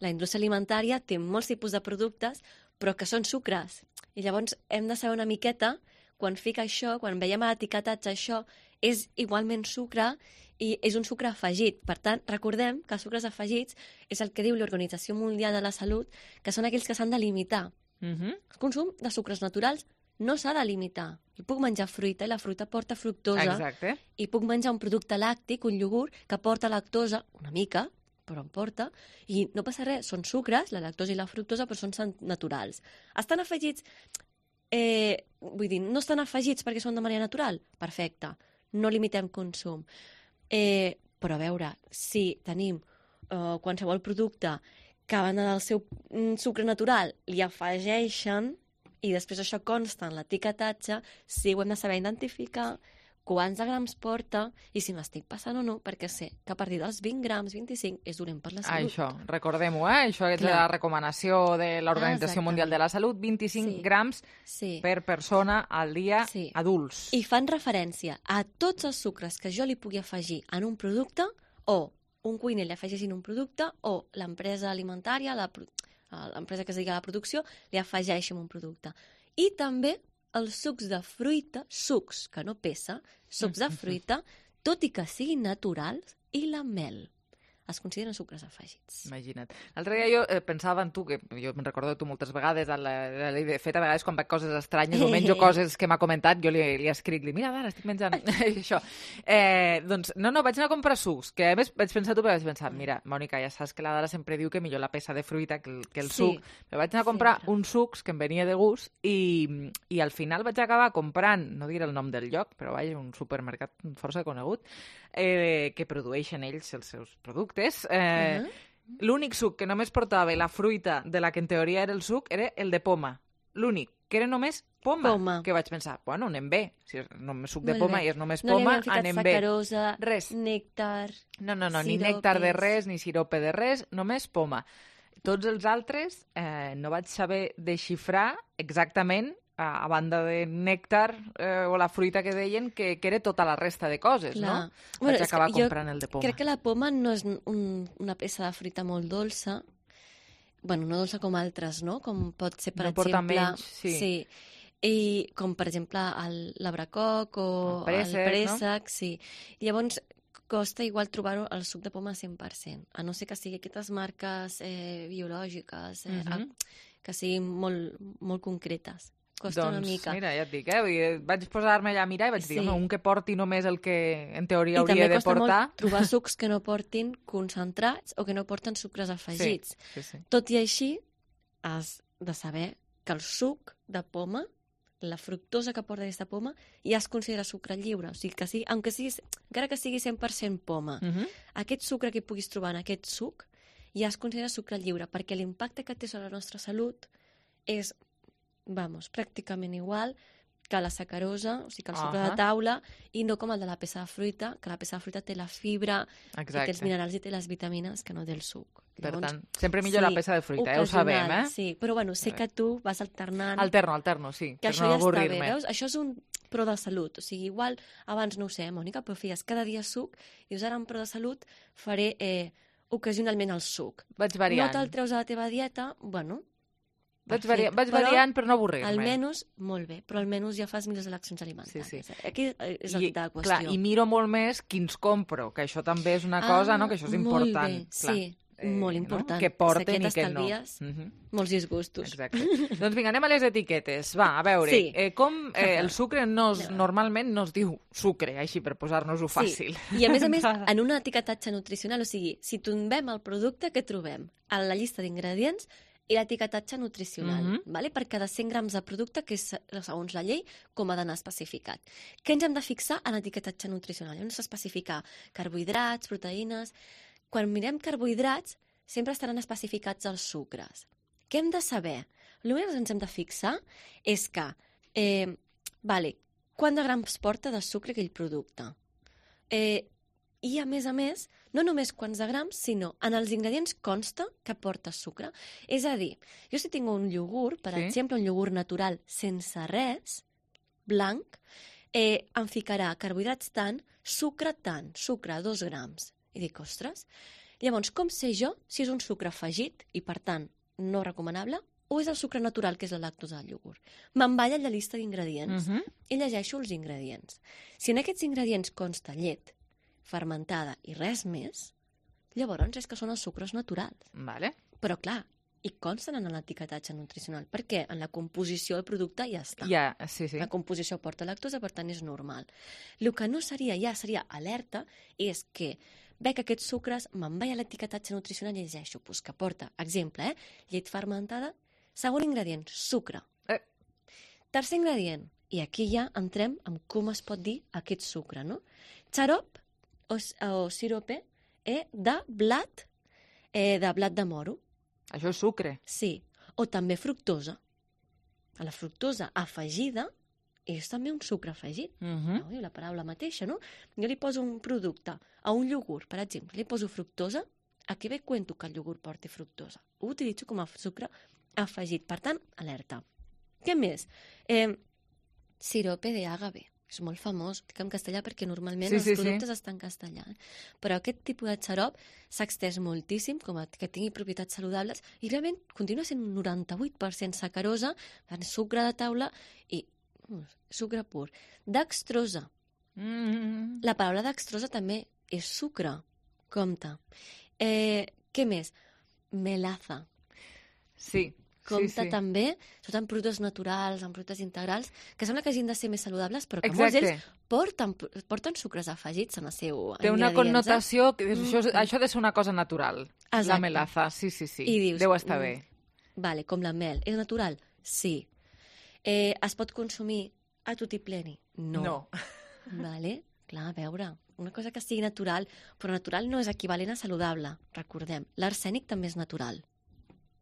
La indústria alimentària té molts tipus de productes, però que són sucres. I llavors hem de saber una miqueta, quan fica això, quan veiem a l'etiquetatge això, és igualment sucre i és un sucre afegit. Per tant, recordem que els sucres afegits és el que diu l'Organització Mundial de la Salut, que són aquells que s'han de limitar. Uh-huh. El consum de sucres naturals no s'ha de limitar. I puc menjar fruita, i la fruita porta fructosa. Exacte. I puc menjar un producte làctic, un iogurt, que porta lactosa, una mica, però en porta, i no passa res, són sucres, la lactosa i la fructosa, però són naturals. Estan afegits, eh, vull dir, no estan afegits perquè són de manera natural? Perfecte, no limitem consum. Eh, però a veure, si tenim eh, qualsevol producte que van del seu mm, sucre natural, li afegeixen, i després això consta en l'etiquetatge, sí ho hem de saber identificar, quants de grams porta i si m'estic passant o no, perquè sé que a partir dels vint grams, vint-i-cinc, és dolent per la salut. Això, recordem-ho, eh? Això és Clar. la recomanació de l'Organització Mundial de la Salut, vint-i-cinc sí. grams sí. per persona al dia sí. adults. I fan referència a tots els sucres que jo li pugui afegir en un producte, o un cuiner li afegeixin un producte, o l'empresa alimentària, la, l'empresa que es digui a la producció, li afegeixin un producte. I també els sucs de fruita, sucs que no pesa, sucs de fruita, tot i que siguin naturals, i la mel. Es consideren sucres afegits. Imagina't. L'altre dia jo eh, pensava en tu, que jo me'n recordo de tu moltes vegades, a la, a la, de fet, a vegades quan veig coses estranyes o menjo coses que m'ha comentat, jo li, li escric, li, mira, Dara, estic menjant això. Eh, doncs, no, no, vaig anar a comprar sucs, que a més vaig pensar tu, però vaig pensar, mira, Mònica, ja saps que la Dara sempre diu que millor la peça de fruita que el, que el sí, suc. Però vaig anar a comprar sempre. uns sucs que em venia de gust i, i al final vaig acabar comprant, no diré el nom del lloc, però vaja, un supermercat força conegut, eh, que produeixen ells els seus productes. Eh, uh-huh. L'únic suc que només portava la fruita de la que en teoria era el suc era el de poma. L'únic, que era només poma. poma. Que vaig pensar, bueno, anem bé. Si és només suc de Molt poma bé. i és només no poma, anem bé. anem No bé. sacarosa, res. nèctar, No, no, no, ni siropes. nèctar de res, ni sirope de res, només poma. Tots els altres eh, no vaig saber desxifrar exactament, a, a banda de nèctar eh, o la fruita que deien, que, que era tota la resta de coses, Clar. no? Bueno, Vaig acabar jo comprant el de poma. Crec que la poma no és un, una peça de fruita molt dolça, bueno, no dolça com altres, no? Com pot ser, per no exemple... porta menys, sí. sí. I com, per exemple, el- l'abracoc o El préssec, el préssec, no? sí. Llavors, costa igual trobar-ho el suc de poma cent per cent, a no ser que sigui aquestes marques eh, biològiques, eh, Mhm. a- que siguin molt, molt concretes. Costa doncs, una mica. mira, ja et dic, eh? Vull dir, vaig posar-me allà a mirar i vaig dir, Sí. home, un que porti només el que en teoria I hauria també de costa portar... molt trobar sucs que no portin concentrats o que no porten sucres afegits. Sí, sí, sí. Tot i així, has de saber que el suc de poma, la fructosa que porta aquesta poma, ja es considera sucre lliure. O sigui que sí, aunque sigui, encara que sigui cent per cent poma, Mhm. aquest sucre que puguis trobar en aquest suc ja es considera sucre lliure, perquè l'impacte que té sobre la nostra salut és, vamos, pràcticament igual que la sacarosa, o sigui, que el sucre Ahà. de taula, i no com el de la peça de fruita, que la peça de fruita té la fibra, i té els Exacte. minerals i té les vitamines que no té el suc. Per tant, sempre millor la peça de fruita, eh? Ho ocasional, sabem, eh? Sí, però bueno, sé que tu vas alternant... Alterno, alterno, sí, Que per això no ja està bé, avorrir-me. veus? Això és un pro de salut. O sigui, igual, abans no ho sé, eh, Mònica, però feies cada dia suc, i dius, ara en pro de salut faré eh, ocasionalment el suc. Vaig variant. No te'l treus a la teva dieta, bueno... Vaig, perfecte, varia, vaig però variant per no avorrir-me. Almenys, molt bé, però almenys ja fas millors eleccions alimentàries. Sí, sí. Aquí és I, la qüestió. clar, I miro molt més quins compro, que això també és una cosa, no? Que això és important. Molt bé, clar. sí, eh, molt important. No? Que porten si i que no. estalvies, Uh -huh. molts disgustos. Exacte. Doncs vinga, anem a les etiquetes. Va, a veure, Sí. eh, com eh, el sucre no es, normalment no es diu sucre, així per posar-nos-ho fàcil. Sí. I a més a més, en un etiquetatge nutricional, o sigui, si tombem el producte que trobem a la llista d'ingredients i l'etiquetatge nutricional, Mhm. vale? Per cada cent grams de producte, que és, segons la llei, com ha d'anar especificat. Què ens hem de fixar en l'etiquetatge nutricional? Hem d'especificar carbohidrats, proteïnes... Quan mirem carbohidrats, sempre estaran especificats els sucres. Què hem de saber? El que ens hem de fixar és que, eh, vale, quant de grams porta de sucre aquell producte? Eh, I, a més a més, no només quants de grams, sinó en els ingredients consta que porta sucre. És a dir, jo si tinc un iogurt, per Sí. exemple, un iogurt natural sense res, blanc, eh, em ficarà carbohidrats tant, sucre tant, sucre dos grams. I dic, ostres, llavors, com sé jo si és un sucre afegit i, per tant, no recomanable, o és el sucre natural, que és la lactosa del iogurt? Me'n vaig a la llista d'ingredients Mhm. i llegeixo els ingredients. Si en aquests ingredients consta llet, fermentada i res més, llavors és que són els sucres naturals. Vale. Però, clar, i consten en l'etiquetatge nutricional. Per què? En la composició del producte ja està. Ja, sí, sí. La composició porta lactosa, per tant, és normal. El que no seria, ja seria alerta, és que veig aquests sucres, me'n vaig a l'etiquetatge nutricional i llegeixo pues, que porta, exemple, eh? llet fermentada, segon ingredient, sucre. Eh. Tercer ingredient, i aquí ja entrem en com es pot dir aquest sucre, no? Xarop o, o sirope eh, de blat, eh, de blat de moro. Això és sucre. Sí, o també fructosa. La fructosa afegida és també un sucre afegit. Uh -huh. No? Diu la paraula mateixa, no? Jo li poso un producte a un iogurt, per exemple, li poso fructosa, aquí ve cuento que el iogurt porti fructosa. Ho utilitzo com a sucre afegit. Per tant, alerta. Què més? Eh, sirope de agave. És molt famós, dic en castellà perquè normalment Sí, els sí, sí. productes estan en castellà. eh? Però aquest tipus de xarop s'ha extès moltíssim, com a, que tingui propietats saludables, i realment continua sent un noranta-vuit per cent sacarosa, sucre de taula i uh, sucre pur. Dextrosa. Mm. La paraula dextrosa també és sucre. Compte. Eh, què més? Melaza. Sí. Compte sí, sí. també, sobretot en productes naturals, en productes integrals, que sembla que hagin de ser més saludables, però que Exacte. molts d'ells porten, porten sucres afegits en el seu Té una ingredients, connotació, que eh? això, Mm. això ha de ser una cosa natural. La Exacte. melaza, sí, sí, sí. I dius, Deu estar mm, bé. Vale, com la mel. És natural? Sí. Eh, es pot consumir a tutti pleni? No. No. Vale? Clar, a veure, una cosa que sigui natural, però natural no és equivalent a saludable, recordem. L'arsènic també és natural.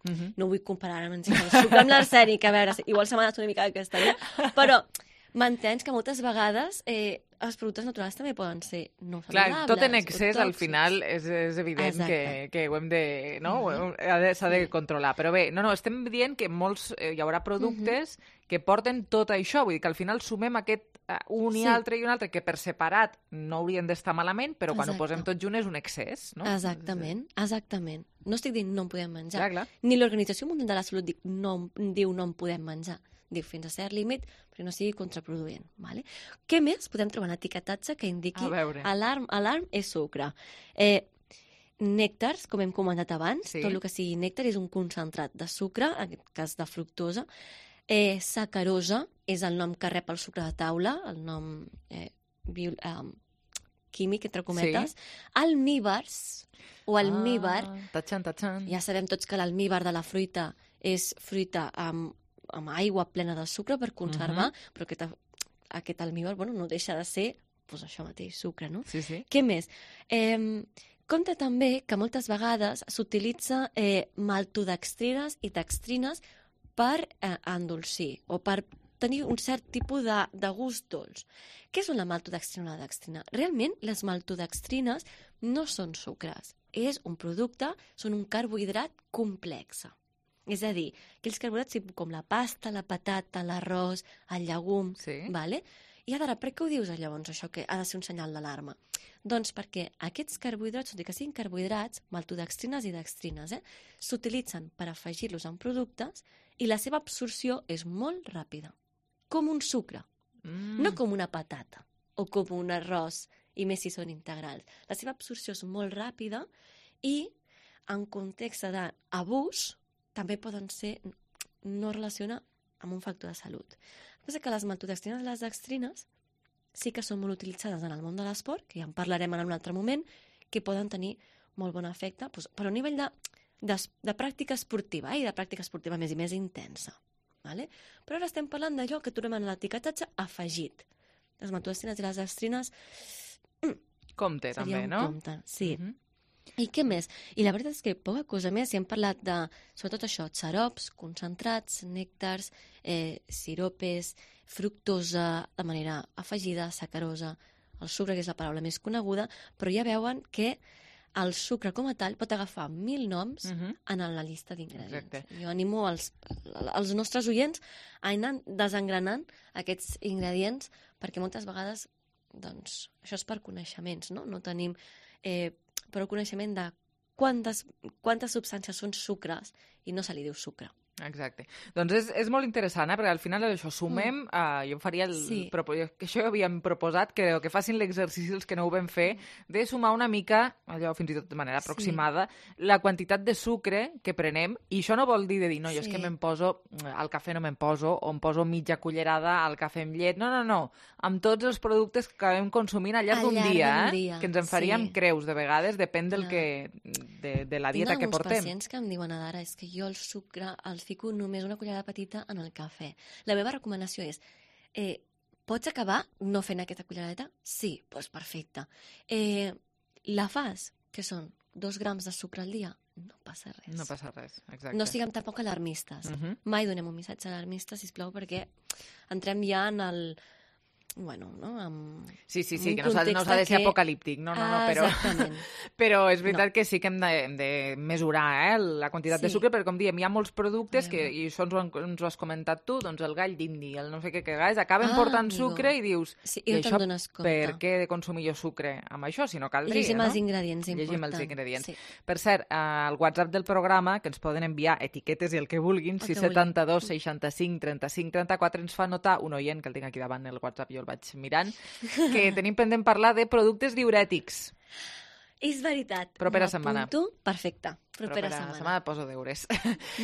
Uh -huh. No vull comparar amb el sucre amb l'arsènic, a veure, igual se m'ha anat una mica de castella, però m'entens que moltes vegades eh, els productes naturals també poden ser no saludables. Clar, tot en o excés, al tòxics. final, és, és evident que, Exacte. que ho hem de... No? Mhm. Ho hem- ha de- S'ha de controlar. Però bé, no, no, estem dient que molts, eh, hi haurà productes que porten tot això. Vull dir que al final sumem aquest eh, un i Sí. altre i un altre, que per separat no haurien d'estar malament, però quan Exacte. ho posem tot junt és un excés, no? Exactament, exactament. No estic dient no en podem menjar. Clar, clar. Ni l'Organització Mundial de la Salut dic, no, diu no en podem menjar. Diu fins a cert límit, però no sigui contraproduent. Vale? Què més podem trobar en etiquetatge que indiqui A veure. alarm, alarm és sucre? Eh, nèctars, com hem comentat abans, Sí. tot el que sigui nèctar és un concentrat de sucre, en aquest cas de fructosa. Eh, sacarosa és el nom que rep el sucre de taula, el nom eh, bio, eh, químic, entre cometes. Sí. Almíbars, o almíbar, Ah, tatxan, tatxan. ja sabem tots que l'almíbar de la fruita és fruita amb, amb aigua plena de sucre per conservar, Mhm. però aquest, aquest almíbar bueno, no deixa de ser pues, això mateix, sucre, no? Sí, sí. Què més? Eh, compte també que moltes vegades s'utilitza eh, maltodextrines i dextrines per eh, endolcir o per tenir un cert tipus de, de gust dolç. Què són la maltodextrina o la dextrina? Realment, les maltodextrines no són sucres. És un producte, són un carbohidrat complex. És a dir, aquells carbohidrats com la pasta, la patata, l'arròs, el llegum, sí. Vale? I ara, per què ho dius llavors, això, que ha de ser un senyal d'alarma? Doncs perquè aquests carbohidrats, tot i que siguin carbohidrats, maltodextrines i dextrines, eh, s'utilitzen per afegir-los en productes i la seva absorció és molt ràpida, com un sucre, mm. no com una patata o com un arròs, i més si són integrals. La seva absorció és molt ràpida i en context d'abús també poden ser, no relaciona amb un factor de salut. El que passa que les maltodextrines i les dextrines sí que són molt utilitzades en el món de l'esport, que ja en parlarem en un altre moment, que poden tenir molt bon efecte, doncs, però a nivell de, de, de pràctica esportiva, eh, i de pràctica esportiva més i més intensa. Vale? Però ara estem parlant d'allò que trobem en l'etiquetatge afegit. Les maltodextrines i les dextrines... Mm, compte, també, no? Compte, sí. Mm-hmm. I què més? I la veritat és que poca cosa més, si hem parlat de, sobretot això, xarops, concentrats, nèctars, eh, siropes, fructosa de manera afegida, sacarosa, el sucre, que és la paraula més coneguda, però ja veuen que el sucre com a tal pot agafar mil noms uh-huh. en la llista d'ingredients. Exacte. Jo animo els, els nostres oients a anar desengranant aquests ingredients, perquè moltes vegades, doncs, això és per coneixements, no? No tenim eh, però coneixement de quantes, quantes substàncies són sucres i no se li diu sucre. Exacte. Doncs és, és molt interessant, eh? Perquè al final això sumem, mm. uh, jo faria el... Sí. Propo, que això ja havíem proposat, que, que facin l'exercici els que no ho vam fer, de sumar una mica, allò fins i tot de manera aproximada, sí. la quantitat de sucre que prenem, i això no vol dir de dir, no, jo sí. és que me'n poso, al cafè no me'n poso, o em poso mitja cullerada al cafè amb llet, no, no, no, amb tots els productes que acabem consumint al llarg d'un dia, eh? dia, que ens en faríem sí. creus de vegades, depèn del que, de, de la dieta que portem. Tinc alguns pacients que em diuen, ara, és que jo el sucre, el fico només una cullerada petita en el cafè. La meva recomanació és, eh, pots acabar no fent aquesta culleradeta? Sí, doncs perfecte. Eh, la fas, que són dos grams de sucre al dia? No passa res. No passa res, exacte. No siguem tampoc alarmistes. Uh-huh. Mai donem un missatge alarmista, sisplau, perquè entrem ja en el... bueno, no? Amb sí, sí, sí, que no s'ha no de ser que... apocalíptic, no, no, no, però, però és veritat no. que sí que hem de, hem de mesurar eh, la quantitat sí. de sucre, perquè com diem, hi ha molts productes que, i això ens ho, ens ho has comentat tu, doncs el gall d'indi, el no sé què que gais, acaben ah, portant amigo. sucre i dius, sí, i, i això per què he de consumir jo sucre amb això, si no caldria, Llegim no? els ingredients, Llegim important. els ingredients. Sí. Per cert, al WhatsApp del programa, que ens poden enviar etiquetes i el que vulguin, sis setanta dos seixanta-cinc trenta-cinc trenta-quatre, ens fa notar un oient, que el tinc aquí davant el WhatsApp, jo el vaig mirant, que tenim pendent parlar de productes diurètics. És veritat. Propera setmana. Perfecte. Propera, Propera setmana. setmana poso deures.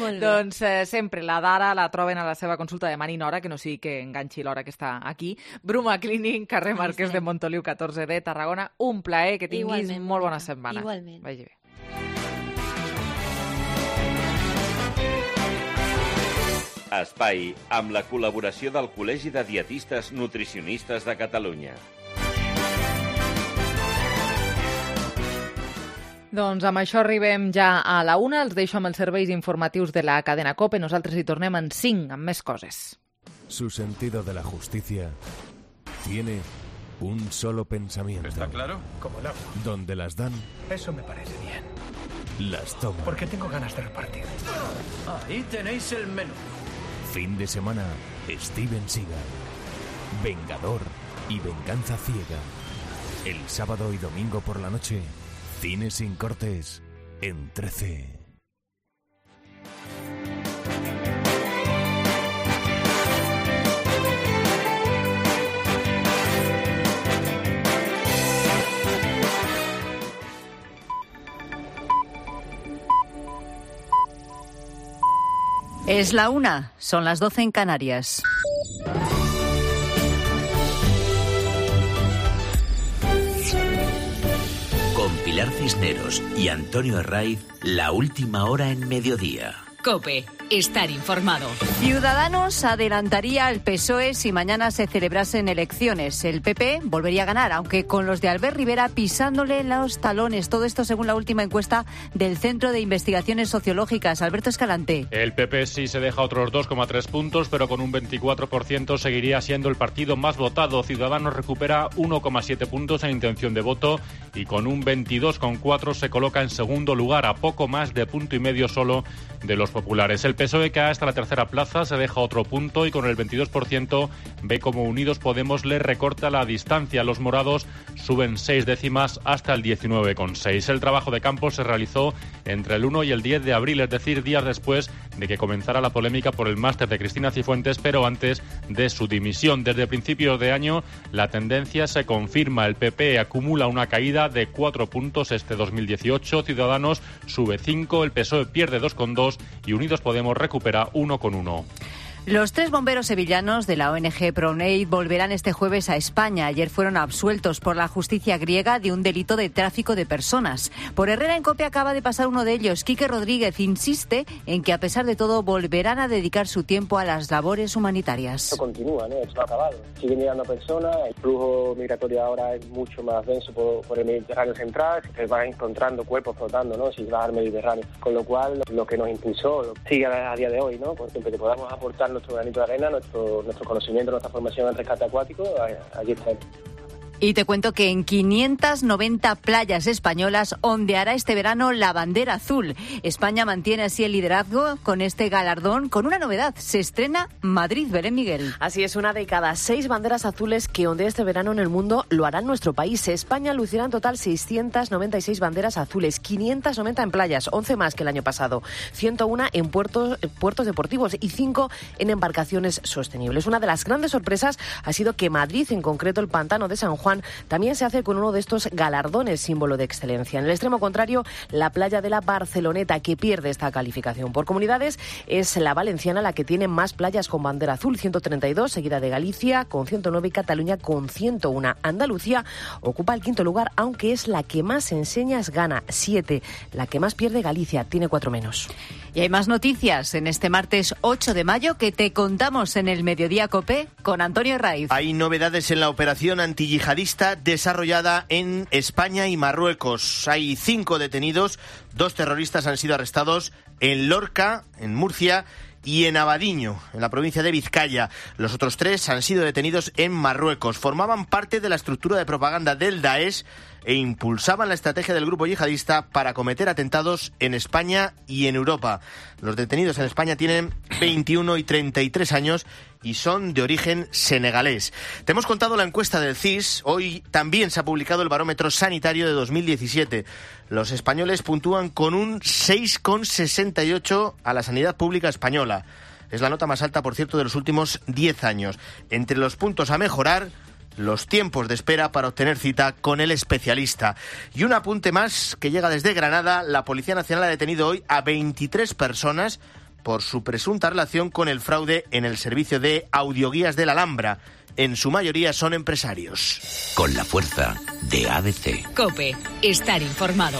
Molt bé. Doncs eh, sempre la Dara la troben a la seva consulta de Mani Nora, que no sigui que enganxi l'hora que està aquí. Bruma Cleaning, carrer Marquès de Montoliu catorze D, Tarragona. Un plaer, que tinguis Igualment, molt bona setmana. Igualment. Vagi bé. Espai amb la col·laboració del Col·legi de Dietistes Nutricionistes de Catalunya. Doncs amb això arribem ja a la una. Els deixo amb els serveis informatius de la cadena COPE. Nosaltres hi tornem en cinc, amb més coses. Su sentido de la justicia tiene un solo pensamiento. ¿Está claro? Como el agua. Donde las dan, Eso me parece bien. las toman. Porque tengo ganas de repartir. Ahí tenéis el menú. Fin de semana, Steven Seagal. Vengador y venganza ciega. El sábado y domingo por la noche, Cine sin cortes en trece. Es la una, son las doce en Canarias. Con Pilar Cisneros y Antonio Herraiz, la última hora en mediodía. COPE. Estar informado. Ciudadanos adelantaría al P S O E si mañana se celebrasen elecciones. El P P volvería a ganar, aunque con los de Albert Rivera pisándole los talones. Todo esto según la última encuesta del Centro de Investigaciones Sociológicas. Alberto Escalante. El P P sí se deja otros dos coma tres puntos, pero con un veinticuatro por ciento seguiría siendo el partido más votado. Ciudadanos recupera uno coma siete puntos en intención de voto y con un veintidós coma cuatro se coloca en segundo lugar, a poco más de punto y medio solo de los populares. El P S O E cae hasta la tercera plaza, se deja otro punto y con el veintidós por ciento ve como Unidos Podemos le recorta la distancia. Los morados suben seis décimas hasta el diecinueve coma seis. El trabajo de campo se realizó entre el uno y el diez de abril, es decir, días después de que comenzara la polémica por el máster de Cristina Cifuentes, pero antes de su dimisión. Desde principios de año la tendencia se confirma. El P P acumula una caída de cuatro puntos este dos mil dieciocho, Ciudadanos sube cinco, el P S O E pierde dos coma dos y Unidos Podemos recupera uno coma uno. Los tres bomberos sevillanos de la O N G Pronaid volverán este jueves a España. Ayer fueron absueltos por la justicia griega de un delito de tráfico de personas. Por Herrera en COPE acaba de pasar uno de ellos. Quique Rodríguez insiste en que a pesar de todo volverán a dedicar su tiempo a las labores humanitarias. Esto continúa, ¿no? Esto no ha acabado. Siguen llegando personas, el flujo migratorio ahora es mucho más denso por, por el Mediterráneo central, se van encontrando cuerpos flotando, ¿no? Si vas al Mediterráneo. Con lo cual, lo que nos impulsó sigue a día de hoy, ¿no? Por siempre que podamos aportar nuestro granito de arena, nuestro, nuestro conocimiento, nuestra formación en rescate acuático, allí está. Y te cuento que en quinientas noventa playas españolas ondeará este verano la bandera azul. España mantiene así el liderazgo con este galardón, con una novedad. Se estrena Madrid, Belén Miguel. Así es, una de cada seis banderas azules que ondea este verano en el mundo lo hará en nuestro país. España lucirá en total seiscientas noventa y seis banderas azules, quinientas noventa en playas, once más que el año pasado, ciento uno en puertos, puertos deportivos y cinco en embarcaciones sostenibles. Una de las grandes sorpresas ha sido que Madrid, en concreto el Pantano de San Juan, también se hace con uno de estos galardones símbolo de excelencia. En el extremo contrario, la playa de la Barceloneta, que pierde esta calificación. Por comunidades, es la valenciana la que tiene más playas con bandera azul, ciento treinta y dos, seguida de Galicia con ciento nueve y Cataluña con ciento uno. Andalucía ocupa el quinto lugar, aunque es la que más enseñas gana, siete. La que más pierde, Galicia, tiene cuatro menos. Y hay más noticias en este martes ocho de mayo que te contamos en el Mediodía COPE con Antonio Raiz. Hay novedades en la operación antiyihadista desarrollada en España y Marruecos. Hay cinco detenidos, dos terroristas han sido arrestados en Lorca, en Murcia, y en Abadiño, en la provincia de Vizcaya. Los otros tres han sido detenidos en Marruecos. Formaban parte de la estructura de propaganda del Daesh e impulsaban la estrategia del grupo yihadista para cometer atentados en España y en Europa. Los detenidos en España tienen veintiuno y treinta y tres años y son de origen senegalés. Te hemos contado la encuesta del C I S. Hoy también se ha publicado el barómetro sanitario de dos mil diecisiete. Los españoles puntúan con un seis coma sesenta y ocho a la sanidad pública española. Es la nota más alta, por cierto, de los últimos diez años. Entre los puntos a mejorar, los tiempos de espera para obtener cita con el especialista. Y un apunte más que llega desde Granada. La Policía Nacional ha detenido hoy a veintitrés personas por su presunta relación con el fraude en el servicio de audioguías de la Alhambra. En su mayoría son empresarios. Con la fuerza de A B C. COPE. Estar informado.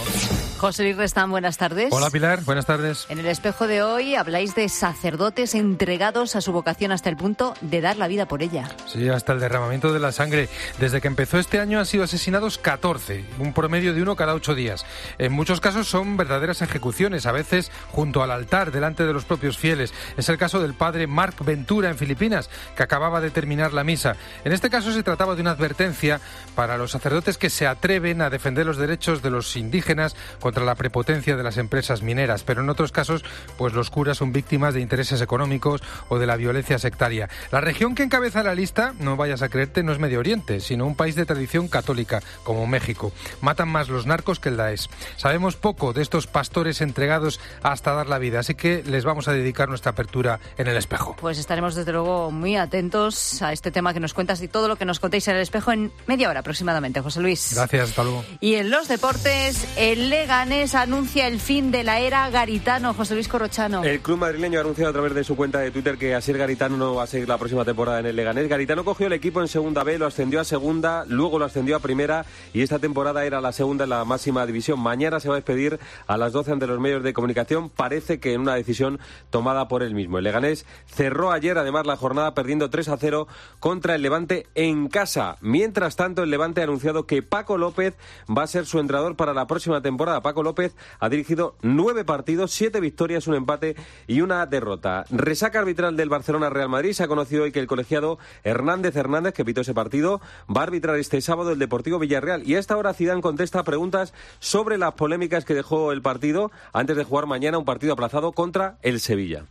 José Luis Restán, buenas tardes. Hola Pilar, buenas tardes. En el espejo de hoy habláis de sacerdotes entregados a su vocación hasta el punto de dar la vida por ella. Sí, hasta el derramamiento de la sangre. Desde que empezó este año han sido asesinados catorce, un promedio de uno cada ocho días. En muchos casos son verdaderas ejecuciones, a veces junto al altar, delante de los propios fieles. Es el caso del padre Marc Ventura en Filipinas, que acababa de terminar la misa. En este caso se trataba de una advertencia para los sacerdotes que se atreven a defender los derechos de los indígenas contra la prepotencia de las empresas mineras, pero en otros casos pues los curas son víctimas de intereses económicos o de la violencia sectaria. La región que encabeza la lista, no vayas a creerte, no es Medio Oriente, sino un país de tradición católica como México. Matan más los narcos que el Daesh. Sabemos poco de estos pastores entregados hasta dar la vida, así que les vamos a dedicar nuestra apertura en el espejo. Pues estaremos desde luego muy atentos a este tema que nos cuentas y todo lo que nos contéis en el espejo en media hora aproximadamente, José Luis. Gracias, hasta luego. Y en los deportes, el Leganés anuncia el fin de la era Garitano. José Luis Corrochano. El club madrileño ha anunciado a través de su cuenta de Twitter que Asier Garitano no va a seguir la próxima temporada en el Leganés. Garitano cogió el equipo en segunda B, lo ascendió a segunda, luego lo ascendió a primera y esta temporada era la segunda en la máxima división. Mañana se va a despedir a las doce ante los medios de comunicación. Parece que en una decisión tomada por él mismo. El Leganés cerró ayer además la jornada perdiendo tres a cero contra el Levante en casa. Mientras tanto, el Levante ha anunciado que Paco López va a ser su entrenador para la próxima temporada. Paco López ha dirigido nueve partidos, siete victorias, un empate y una derrota. Resaca arbitral del Barcelona-Real Madrid. Se ha conocido hoy que el colegiado Hernández Hernández, que pitó ese partido, va a arbitrar este sábado el Deportivo Villarreal. Y a esta hora Zidane contesta preguntas sobre las polémicas que dejó el partido antes de jugar mañana un partido aplazado contra el Sevilla.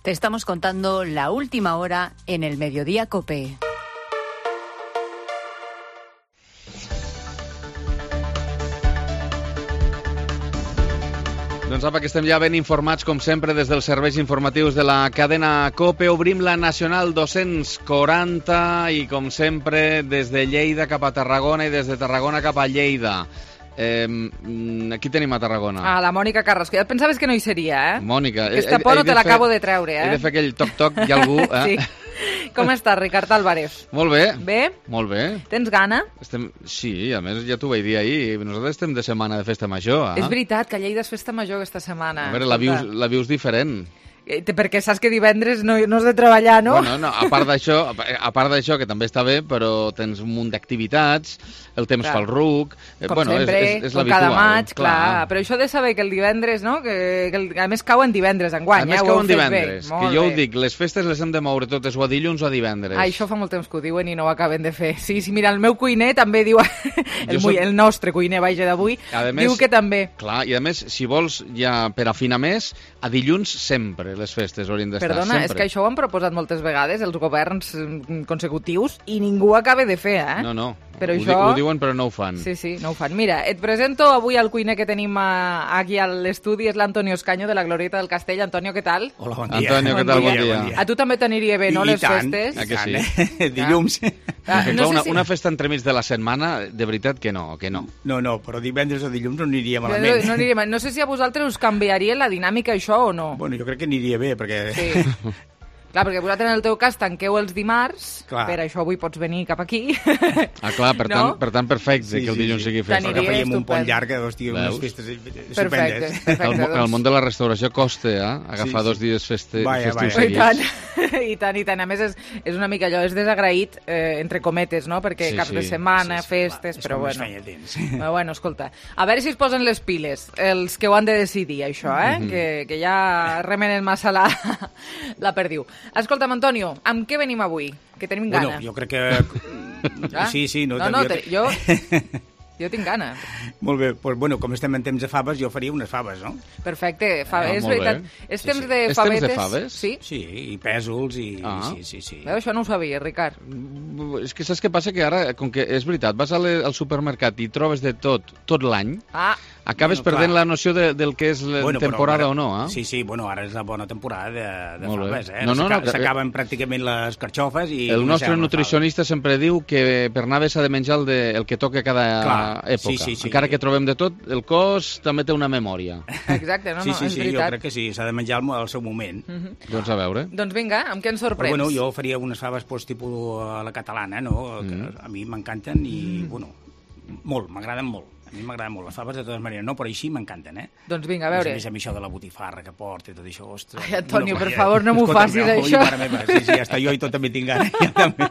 Te estamos contando la última hora en el Mediodía COPE. Doncs apa, que estem ja ben informats, com sempre, des dels serveis informatius de la cadena COPE. Obrim la Nacional dos-cents quaranta i, com sempre, des de Lleida cap a Tarragona i des de Tarragona cap a Lleida. Eh, aquí tenim a Tarragona. Ah, la Mònica Carrasco. Ja et pensaves que no hi seria, eh? Mònica. Aquesta por no te l'acabo de treure, eh? He de fer aquell toc-toc, hi ha algú, eh? Sí. Com estàs, Ricard Álvarez? Molt bé. Bé? Molt bé. Tens gana? Estem... Sí, a més ja t'ho vaig dir ahir, nosaltres estem de setmana de festa major, eh? És veritat que a Lleida és festa major aquesta setmana. A veure, la vius, la vius diferent. Perquè saps que divendres no, no has de treballar, no? Bueno, no, a part d'això, a part d'això, que també està bé, però tens un munt d'activitats, el temps clar. Fa el ruc... Com bueno, sempre, és, és, és com cada maig, clar. clar. Però això de saber que el divendres, no? Que, que el, a més cauen divendres enguany, a més eh? cauen divendres, que jo ho dic, les festes les hem de moure totes o a dilluns o a divendres. Ah, això fa molt temps que ho diuen i no ho acaben de fer. Sí, sí, mira, el meu cuiner també diu, el, soc... el nostre cuiner, vaja, d'avui, diu que també. Clar, i a més, si vols, ja per afinar més, a dilluns sempre les festes haurien d'estar. Perdona, sempre. És que això ho han proposat moltes vegades els governs consecutius i ningú ho acaba de fer, eh? No, no, però ho, això... di ho diuen però no ho fan. Sí, sí, no ho fan. Mira, et presento avui el cuiner que tenim a, aquí a l'estudi, és l'Antonio Escaño de la Glorieta del Castell. Antonio, què tal? Hola, bon dia. Antonio, què tal? Bon dia. Bon dia. A tu també t'aniria bé, no, I les tant, festes? Ah, que sí? Eh? Dilluns. Ah, no una, sé si... una festa entremig de la setmana, de veritat que no, que no. No, no, però divendres o dilluns no aniria malament. No, no, aniria mal. No sé si a vosaltres us canviaria la dinàmica això o no. Bueno, jo crec que aniria bé, perquè... Sí. Clar, perquè vosaltres en el teu cas tanqueu els dimarts, clar. Per això avui pots venir cap aquí. Ah, clar, per, no? tant, per tant, perfecte, sí, que el dilluns sí, sí. sigui festa. Perquè faríem un pont llarg, hòstia, unes festes estupendes. Perfecte, perfecte. El, doncs... el món de la restauració costa, eh? Agafar sí, sí. dos dies feste, vaya, festius vaya. seguits. I tant, i tant, i tant. A més, és, és una mica allò, és desagraït, eh, entre cometes, no? Perquè sí, cap sí. de setmana, sí, sí, festes, clar, però bueno. Però bueno, escolta, a veure si es posen les piles, els que ho han de decidir, això, eh? Mm -hmm. que, que ja remenen massa la, la perdiu. Escolta'm, Antonio, amb què venim avui? Que tenim gana. Bueno, jo crec que... Ah? Sí, sí. No, no, no te... jo... Jo tinc gana. Molt bé, doncs, bueno, com estem en temps de faves, jo faria unes faves, no? Perfecte, fa... ah, és veritat. És sí, temps sí. de és favetes. Temps de faves? Sí. Sí, i pèsols, i... Ah. Sí, sí, sí. Veu, això no ho sabia, Ricard. És que saps què passa? Que ara, com que és veritat, vas al supermercat i trobes de tot, tot l'any, ah. acabes bueno, perdent clar. la noció de, del que és la bueno, temporada però, o no, eh? Sí, sí, bueno, ara és la bona temporada de, de Molt faves, bé. eh? No, no, no, s'acaben que... pràcticament les carxofes i... El nostre nutricionista sempre diu que per anar bé s'ha de menjar el, de, el que toca cada clar, època. Sí, sí, sí. Encara que trobem de tot, el cos també té una memòria. Exacte, no, sí, no, sí, és sí, veritat. jo crec que sí, s'ha de menjar al, al seu moment. Uh -huh. Doncs a veure. Doncs vinga, amb què ens sorprens? Però, bueno, jo faria unes faves pues, tipus a la catalana, no? Que mm. a mi m'encanten i, mm. bueno, molt, m'agraden molt. A mi m'agraden molt les faves, de totes maneres, no, però així m'encanten, eh? Doncs vinga, a veure. A més, a mi això de la botifarra que porta i tot això, ostres... Ai, Antonio, no, per favor, no m'ho facis, no, això. Mare meva, sí, sí, hasta jo i tot també tinc gana, ja també.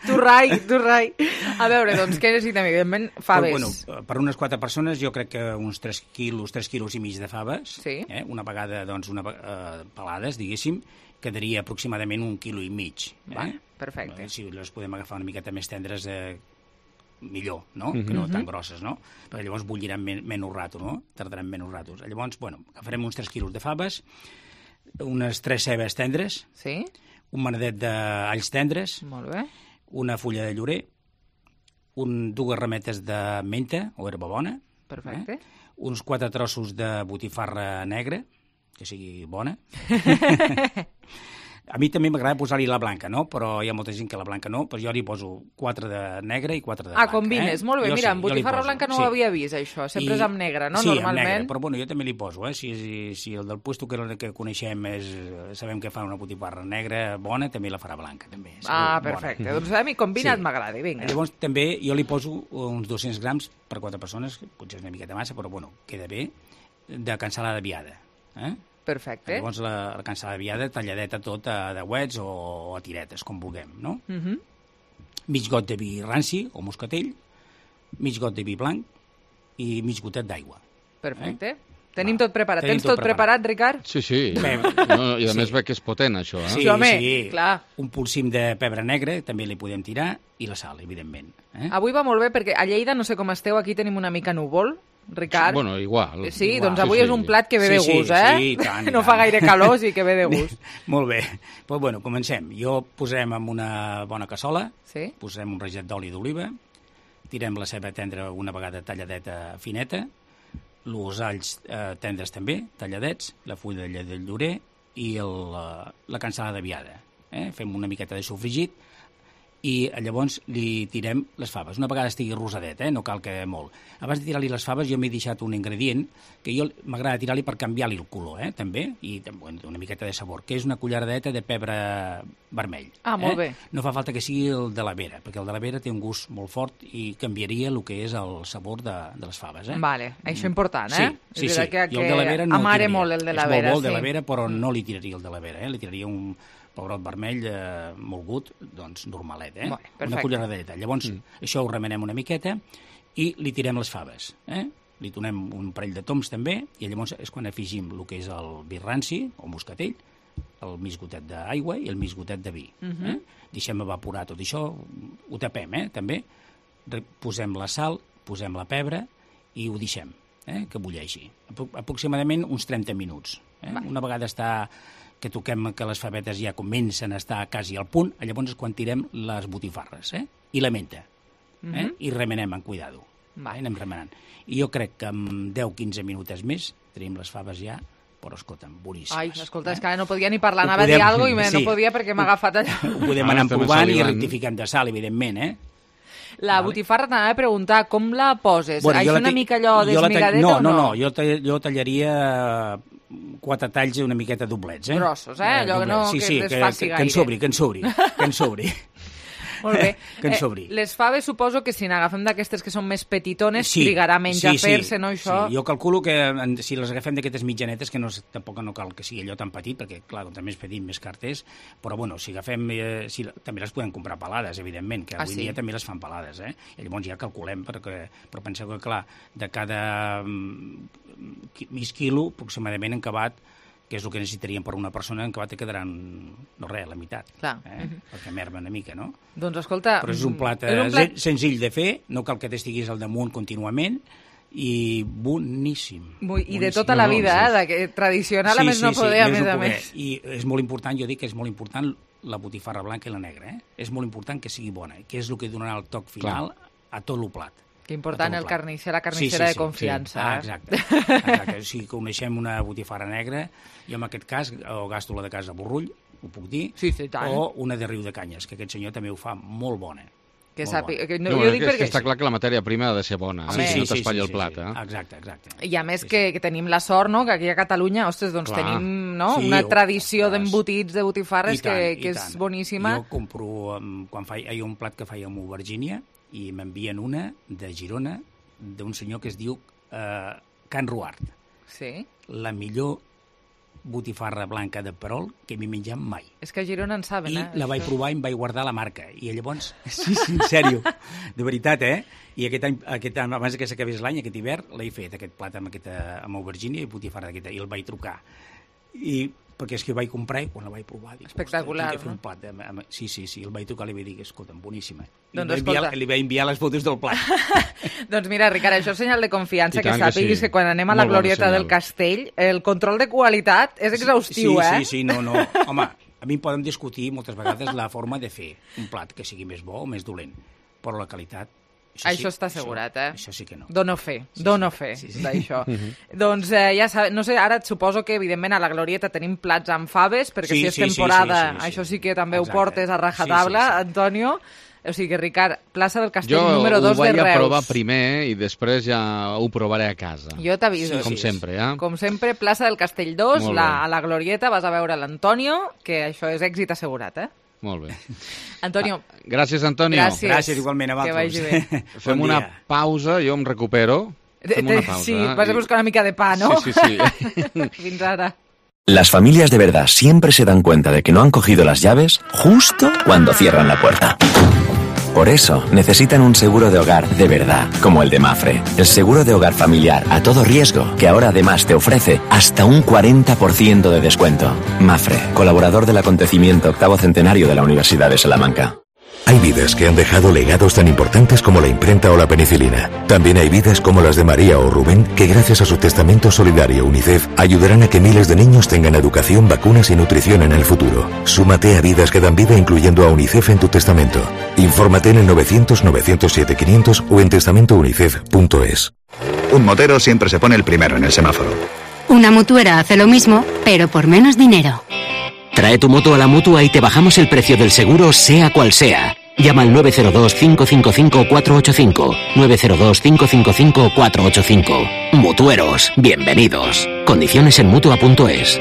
Tu rai, tu rai. A veure, doncs, què necessitem? Evidentment, faves. Però, bueno, per unes quatre persones, jo crec que uns tres quilos, tres quilos i mig de faves, sí. eh? Una vegada, doncs, una, uh, pelades, diguéssim, quedaria aproximadament un quilo i mig. Va, eh? perfecte. Eh, si les podem agafar una miqueta més tendres, eh, millor, no? Uh -huh. Que no tan grosses, no? Perquè llavors bulliran men menys rato, no? Tardaran menys ratos. Llavors, bueno, agafarem uns tres quilos de faves, unes tres cebes tendres, sí. un manadet d'alls tendres, molt bé. Una fulla de llorer, un, dues rametes de menta o herba bona, perfecte. Eh? Uns quatre trossos de botifarra negra, que sigui bona, A mi també m'agrada posar-hi la blanca, no? Però hi ha molta gent que la blanca no, però jo li poso quatre de negre i quatre de blanca. Ah, combines, eh? Molt bé. Jo Mira, sí, amb botifarra blanca no sí. ho havia vist, això. Sempre I... és amb negre, no? Sí, Normalment. amb negre, però bueno, jo també li poso, eh? Si, si, si el del puesto que, que coneixem és, sabem que fa una botifarra negra bona, també la farà blanca, també. Segur, ah, perfecte. Bona. Doncs a mi combinat sí. m'agrada, vinga. Llavors també jo li poso uns dos-cents grams per quatre persones, potser és una miqueta massa, però bueno, queda bé, de cansalada viada, eh? Perfecte. Llavors la, la cansalada viada talladeta tot a dauets o a tiretes, com vulguem, no? Uh -huh. Mig got de vi ranci o moscatell, mig got de vi blanc i mig gotet d'aigua. Perfecte. Eh? Tenim tot preparat. Tenim Tens tot, tot preparat, preparat, Ricard? Sí, sí. No, I a sí. més veig que és potent, això. Eh? Sí, sí, home, sí. clar. Un polsim de pebre negre també li podem tirar i la sal, evidentment. Eh? Avui va molt bé perquè a Lleida, no sé com esteu, aquí tenim una mica núvol. Ricard. Sí, bueno, igual. Sí, igual. doncs avui sí, és un plat que ve sí, de gust, sí, eh? Sí, tant, no tant. fa gaire calor, sí que ve de gust. Molt bé. Pues bueno, comencem. Jo posem en una bona cassola, sí? posem un raget d'oli d'oliva, tirem la ceba tendra una vegada talladeta fineta, els alls eh, tendres també, talladets, la fulla de llorer i el, la, la cansalada viada. Eh? Fem una miqueta de sofregit i llavors li tirem les faves. Una vegada estigui rosadet, eh? No cal que molt. Abans de tirar-li les faves jo m'he deixat un ingredient que jo m'agrada tirar-li per canviar-li el color, eh? també, i una miqueta de sabor, que és una culleradeta de pebre vermell. Ah, molt eh? bé. No fa falta que sigui el de la vera, perquè el de la vera té un gust molt fort i canviaria el que és el sabor de, de les faves. Eh? Vale, això és important, eh? Sí, sí, sí. Que, jo el de la vera no amare molt el de la vera. És molt bo el sí. de la vera, però no li tiraria el de la vera, eh? Li tiraria un pebrot vermell eh, molt gut, doncs normalet, eh? Bueno, una culleradeta. Llavors, mm. això ho remenem una miqueta i li tirem les faves, eh? Li donem un parell de toms també, i llavors és quan afegim el que és el vi ranci, o moscatell, el mig gotet d'aigua i el mig gotet de vi. Uh -huh. eh? Deixem evaporar tot això, ho tapem, eh? també. Posem la sal, posem la pebre i ho deixem, eh? que bulleixi. Aproximadament uns trenta minuts. Eh? Una vegada està que toquem que les favetes ja comencen a estar quasi al punt, llavors és quan tirem les botifarres, eh? I la menta. Eh? Uh -huh. I remenem amb cuidado. Eh? Anem remenant. I jo crec que en deu quinze minuts més tenim les faves ja, però escolta'm, boníssimes. Ai, escolta, eh? és que ara no podia ni parlar, anava podem... a dir alguna cosa i sí. no podia perquè m'ha agafat allà. Ho podem anar provant i rectificant de sal, evidentment, eh? La vale. botifarra t'anava a preguntar, com la poses? Bueno, Això una mica allò d'esmigadeta no, o no? No, no, jo, jo tallaria quatre talls una miqueta doblets, eh? Grossos, eh? Allò que no sí, que sí, es que, faci que, gaire. Que en sobri, que en sobri, que en sobri. Molt bé. Que en sobri. Eh, les faves suposo que si n'agafem d'aquestes que són més petitones, sí, trigarà menys sí, a fer-se, sí, no, això? Sí, jo calculo que si les agafem d'aquestes mitjanetes, que no, tampoc no cal que sigui allò tan petit, perquè, clar, com més petit, més carters, però, bueno, si agafem... Eh, si, també les podem comprar pelades, evidentment, que avui ah, sí? dia també les fan pelades, eh? I llavors ja calculem, perquè, però penseu que, clar, de cada um, mig quilo, aproximadament, en acabat, que és el que necessitaríem per una persona, en acabat te quedaran, no res, la meitat. Clar. Eh? Uh-huh. Perquè merma una mica, no? Doncs escolta... Però és un plat, és un plat... senzill de fer, no cal que t'estiguis al damunt contínuament, i boníssim. I boníssim. de tota la vida, no, eh? De tradicional, sí, a més sí, no poder, sí, a més a més. I és molt important, jo dic que és molt important la botifarra blanca i la negra, eh? És molt important que sigui bona, que és el que donarà el toc final Clar. a tot el plat. Que important el carnisser, la carnissera sí, sí, de confiança. Sí. Ah, exacte. exacte. Si coneixem una botifarra negra, jo en aquest cas o gasto la de casa Borrull, ho puc dir, sí, sí, tant. o una de Riu de Canyes, que aquest senyor també ho fa molt bona. Que sàpi... que no, no, jo dic que, perquè... que està clar que la matèria prima ha de ser bona, Home, eh? sí, no t'espatlli sí, el plat. Sí, sí. Eh? Exacte, exacte. I a més sí, que, sí. que tenim la sort, no?, que aquí a Catalunya, ostres, doncs clar. tenim no? Sí, una jo, tradició d'embotits, de botifarres, tant, que, que és tant. boníssima. Jo compro, quan fa, hi ha un plat que feia amb Virgínia, i m'envien una de Girona, d'un senyor que es diu eh, Can Ruart. Sí. La millor botifarra blanca de perol que m'he menjat mai. És que a Girona en saben, I eh? I la vaig provar i em vaig guardar la marca. I llavors, sí, sí, en sèrio, de veritat, eh? I aquest any, aquest any abans que s'acabés l'any, aquest hivern, l'he fet, aquest plat amb, aquesta, amb Aubergínia i botifarra d'aquesta, i el vaig trucar. I perquè és que ho vaig comprar i quan la vaig provar... Dic, espectacular, no? Un plat, amb, amb, sí, sí, sí, el vaig trucar i li vaig dir, escolta'm, boníssima. Doncs li, enviar, li vaig enviar les fotos del plat. Doncs mira, Ricard, això és senyal de confiança, que sàpiguis que, sí. que quan anem a la Molt glorieta del castell, el control de qualitat és exhaustiu, sí, eh? Sí, sí, no, no. Home, a mi podem discutir moltes vegades la forma de fer un plat que sigui més bo o més dolent, però la qualitat Això, això sí, està assegurat, eh? Això sí que no. Dono fe, sí, dono sí. fe sí, sí. d'això. Doncs eh, ja sabeu, no sé, ara et suposo que evidentment a la Glorieta tenim plats amb faves, perquè sí, si és sí, temporada, sí, sí, sí, sí. això sí que també Exacte. ho portes a rajatabla, sí, sí, sí. Antonio. O sigui que, Ricard, plaça del Castell jo número dos de Reus. Jo ho vaig a provar primer i després ja ho provaré a casa. Jo t'aviso. Com sí, sempre, eh? Com sempre, plaça del Castell dos, la, a la Glorieta, vas a veure l'Antonio, que això és èxit assegurat, eh? Molt bé. Antonio. Ah, gràcies, Antonio. Gràcies. Gràcies igualment a vosaltres. Que vagi bé. Fem bon una pausa, jo em recupero. Fem una pausa. Sí, vas a buscar una mica de pa, ¿no? Sí, sí, sí. Fins ara. Las familias de verdad siempre se dan cuenta de que no han cogido las llaves justo cuando cierran la puerta. Por eso, necesitan un seguro de hogar de verdad, como el de Mafre. El seguro de hogar familiar a todo riesgo, que ahora además te ofrece hasta un cuarenta por ciento de descuento. Mafre, colaborador del acontecimiento octavo centenario de la Universidad de Salamanca. Hay vidas que han dejado legados tan importantes como la imprenta o la penicilina. También hay vidas como las de María o Rubén, que gracias a su testamento solidario UNICEF ayudarán a que miles de niños tengan educación, vacunas y nutrición en el futuro. Súmate a vidas que dan vida incluyendo a UNICEF en tu testamento. Infórmate en el novecientos, novecientos siete, quinientos o en testamento unicef punto es. Un motero siempre se pone el primero en el semáforo. Una mutuera hace lo mismo, pero por menos dinero. Trae tu moto a la Mutua y te bajamos el precio del seguro, sea cual sea. Llama al nueve cero dos, cinco cinco cinco, cuatro ocho cinco. nueve cero dos, cinco cinco cinco, cuatro ocho cinco. Mutueros, bienvenidos. Condiciones en mutua punto es.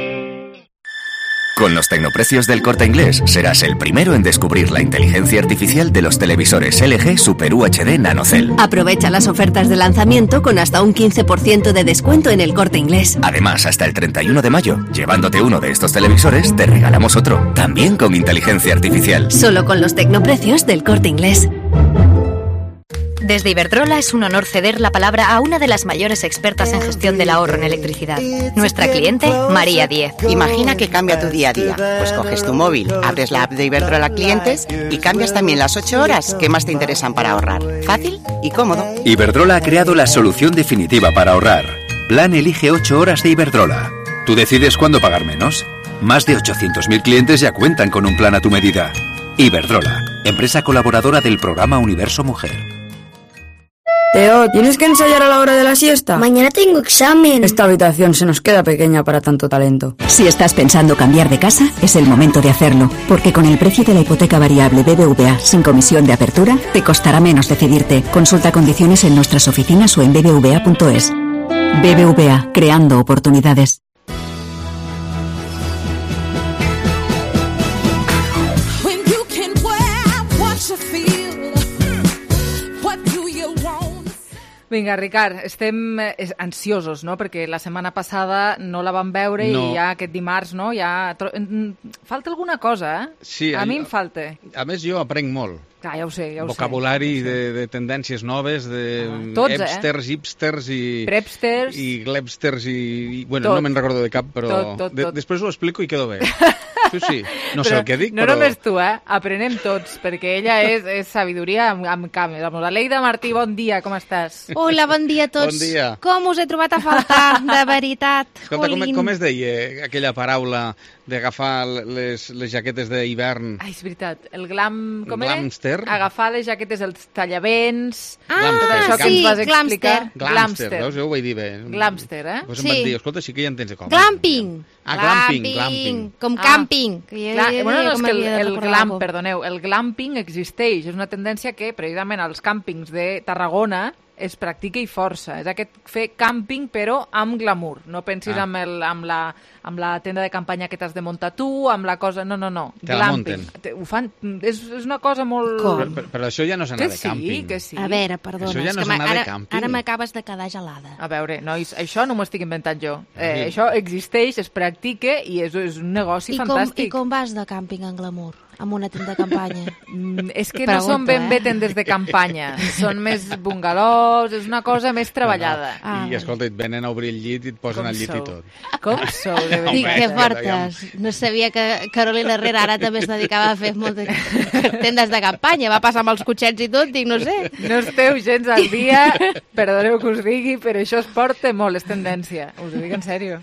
Con los tecnoprecios del Corte Inglés serás el primero en descubrir la inteligencia artificial de los televisores L G Super U H D NanoCell. Aprovecha las ofertas de lanzamiento con hasta un quince por ciento de descuento en el Corte Inglés. Además, hasta el treinta y uno de mayo, llevándote uno de estos televisores, te regalamos otro, también con inteligencia artificial. Solo con los tecnoprecios del Corte Inglés. Desde Iberdrola es un honor ceder la palabra a una de las mayores expertas en gestión del ahorro en electricidad. Nuestra cliente, María Diez. Imagina que cambia tu día a día. Pues coges tu móvil, abres la app de Iberdrola Clientes y cambias también las ocho horas que más te interesan para ahorrar. Fácil y cómodo. Iberdrola ha creado la solución definitiva para ahorrar. Plan Elige ocho horas de Iberdrola. ¿Tú decides cuándo pagar menos? Más de ochocientos mil clientes ya cuentan con un plan a tu medida. Iberdrola, empresa colaboradora del programa Universo Mujer. Teo, ¿tienes que ensayar a la hora de la siesta? Mañana tengo examen. Esta habitación se nos queda pequeña para tanto talento. Si estás pensando cambiar de casa, es el momento de hacerlo, porque con el precio de la hipoteca variable B B V A sin comisión de apertura, te costará menos decidirte. Consulta condiciones en nuestras oficinas o en b b v a punto es. B B V A, creando oportunidades. Vinga, Ricard, estem ansiosos, no?, perquè la setmana passada no la vam veure no. I ja aquest dimarts, no?, ja... Falta alguna cosa, eh? Sí. A mi em falta. A més, jo aprenc molt. Clar, ja ho sé, ja ho Vocabulari sé. de, de tendències noves, de ah, tots, hipsters, eh? hipsters i... Prepsters. I glebsters i... i bueno, tot. No me'n recordo de cap, però... Tot, tot, tot. De, després ho explico i quedo bé. Sí, sí. No sé el que dic, no però... No només tu, eh? Aprenem tots, perquè ella és, és sabidoria amb, amb canvi. La Leida Martí, bon dia, com estàs? Hola, bon dia a tots. Bon dia. Com us he trobat a faltar, de veritat. Escolta, com, com es deia aquella paraula d'agafar les, les jaquetes d'hivern? Ai, és veritat. El glam... Com Glamster? Era? Agafar les jaquetes, els tallavents... Ah, tot això que sí, ens vas explicar. Glamster. Glamster, veus? Jo ho vaig dir bé. Glamster, eh? Pues sí. em van dir, escolta, sí que ja entens com. Glamping. Ah, glamping, glamping. Com ah, camping. Que ja, ja bueno, no, és que el, el glam, perdoneu, el glamping existeix. És una tendència que, precisament, als càmpings de Tarragona es practica i força. És aquest fer càmping, però amb glamour. No pensis ah. amb, el, amb, la, amb la tenda de campanya que t'has de muntar tu, amb la cosa... No, no, no. Te la munten. Ho fan... És, és una cosa molt... Però, però, però això ja no és anar que de càmping. Sí, que sí. A veure, perdona. Això ja no és anar ara, de càmping. Ara m'acabes de quedar gelada. A veure, nois, això no m'ho estic inventant jo. Eh, sí. Això existeix, es practica i és, és un negoci I fantàstic. Com, I com vas de càmping en glamour? Amb una tenda de campanya? Mm, és que Pregunta, no són ben bé eh? tendes de campanya. Són més bungalows, és una cosa més treballada. Ah, I, escolta, et venen a obrir el llit i et posen al llit i tot. Com sou, de veritat? Dic, que fortes. No sabia que Carolina Herrera ara també es dedicava a fer moltes tendes de campanya. Va passar amb els cotxets i tot, dic, no sé. No esteu gens al dia, perdoneu que us digui, però això es porta molt, és tendència. Us ho dic en sèrio.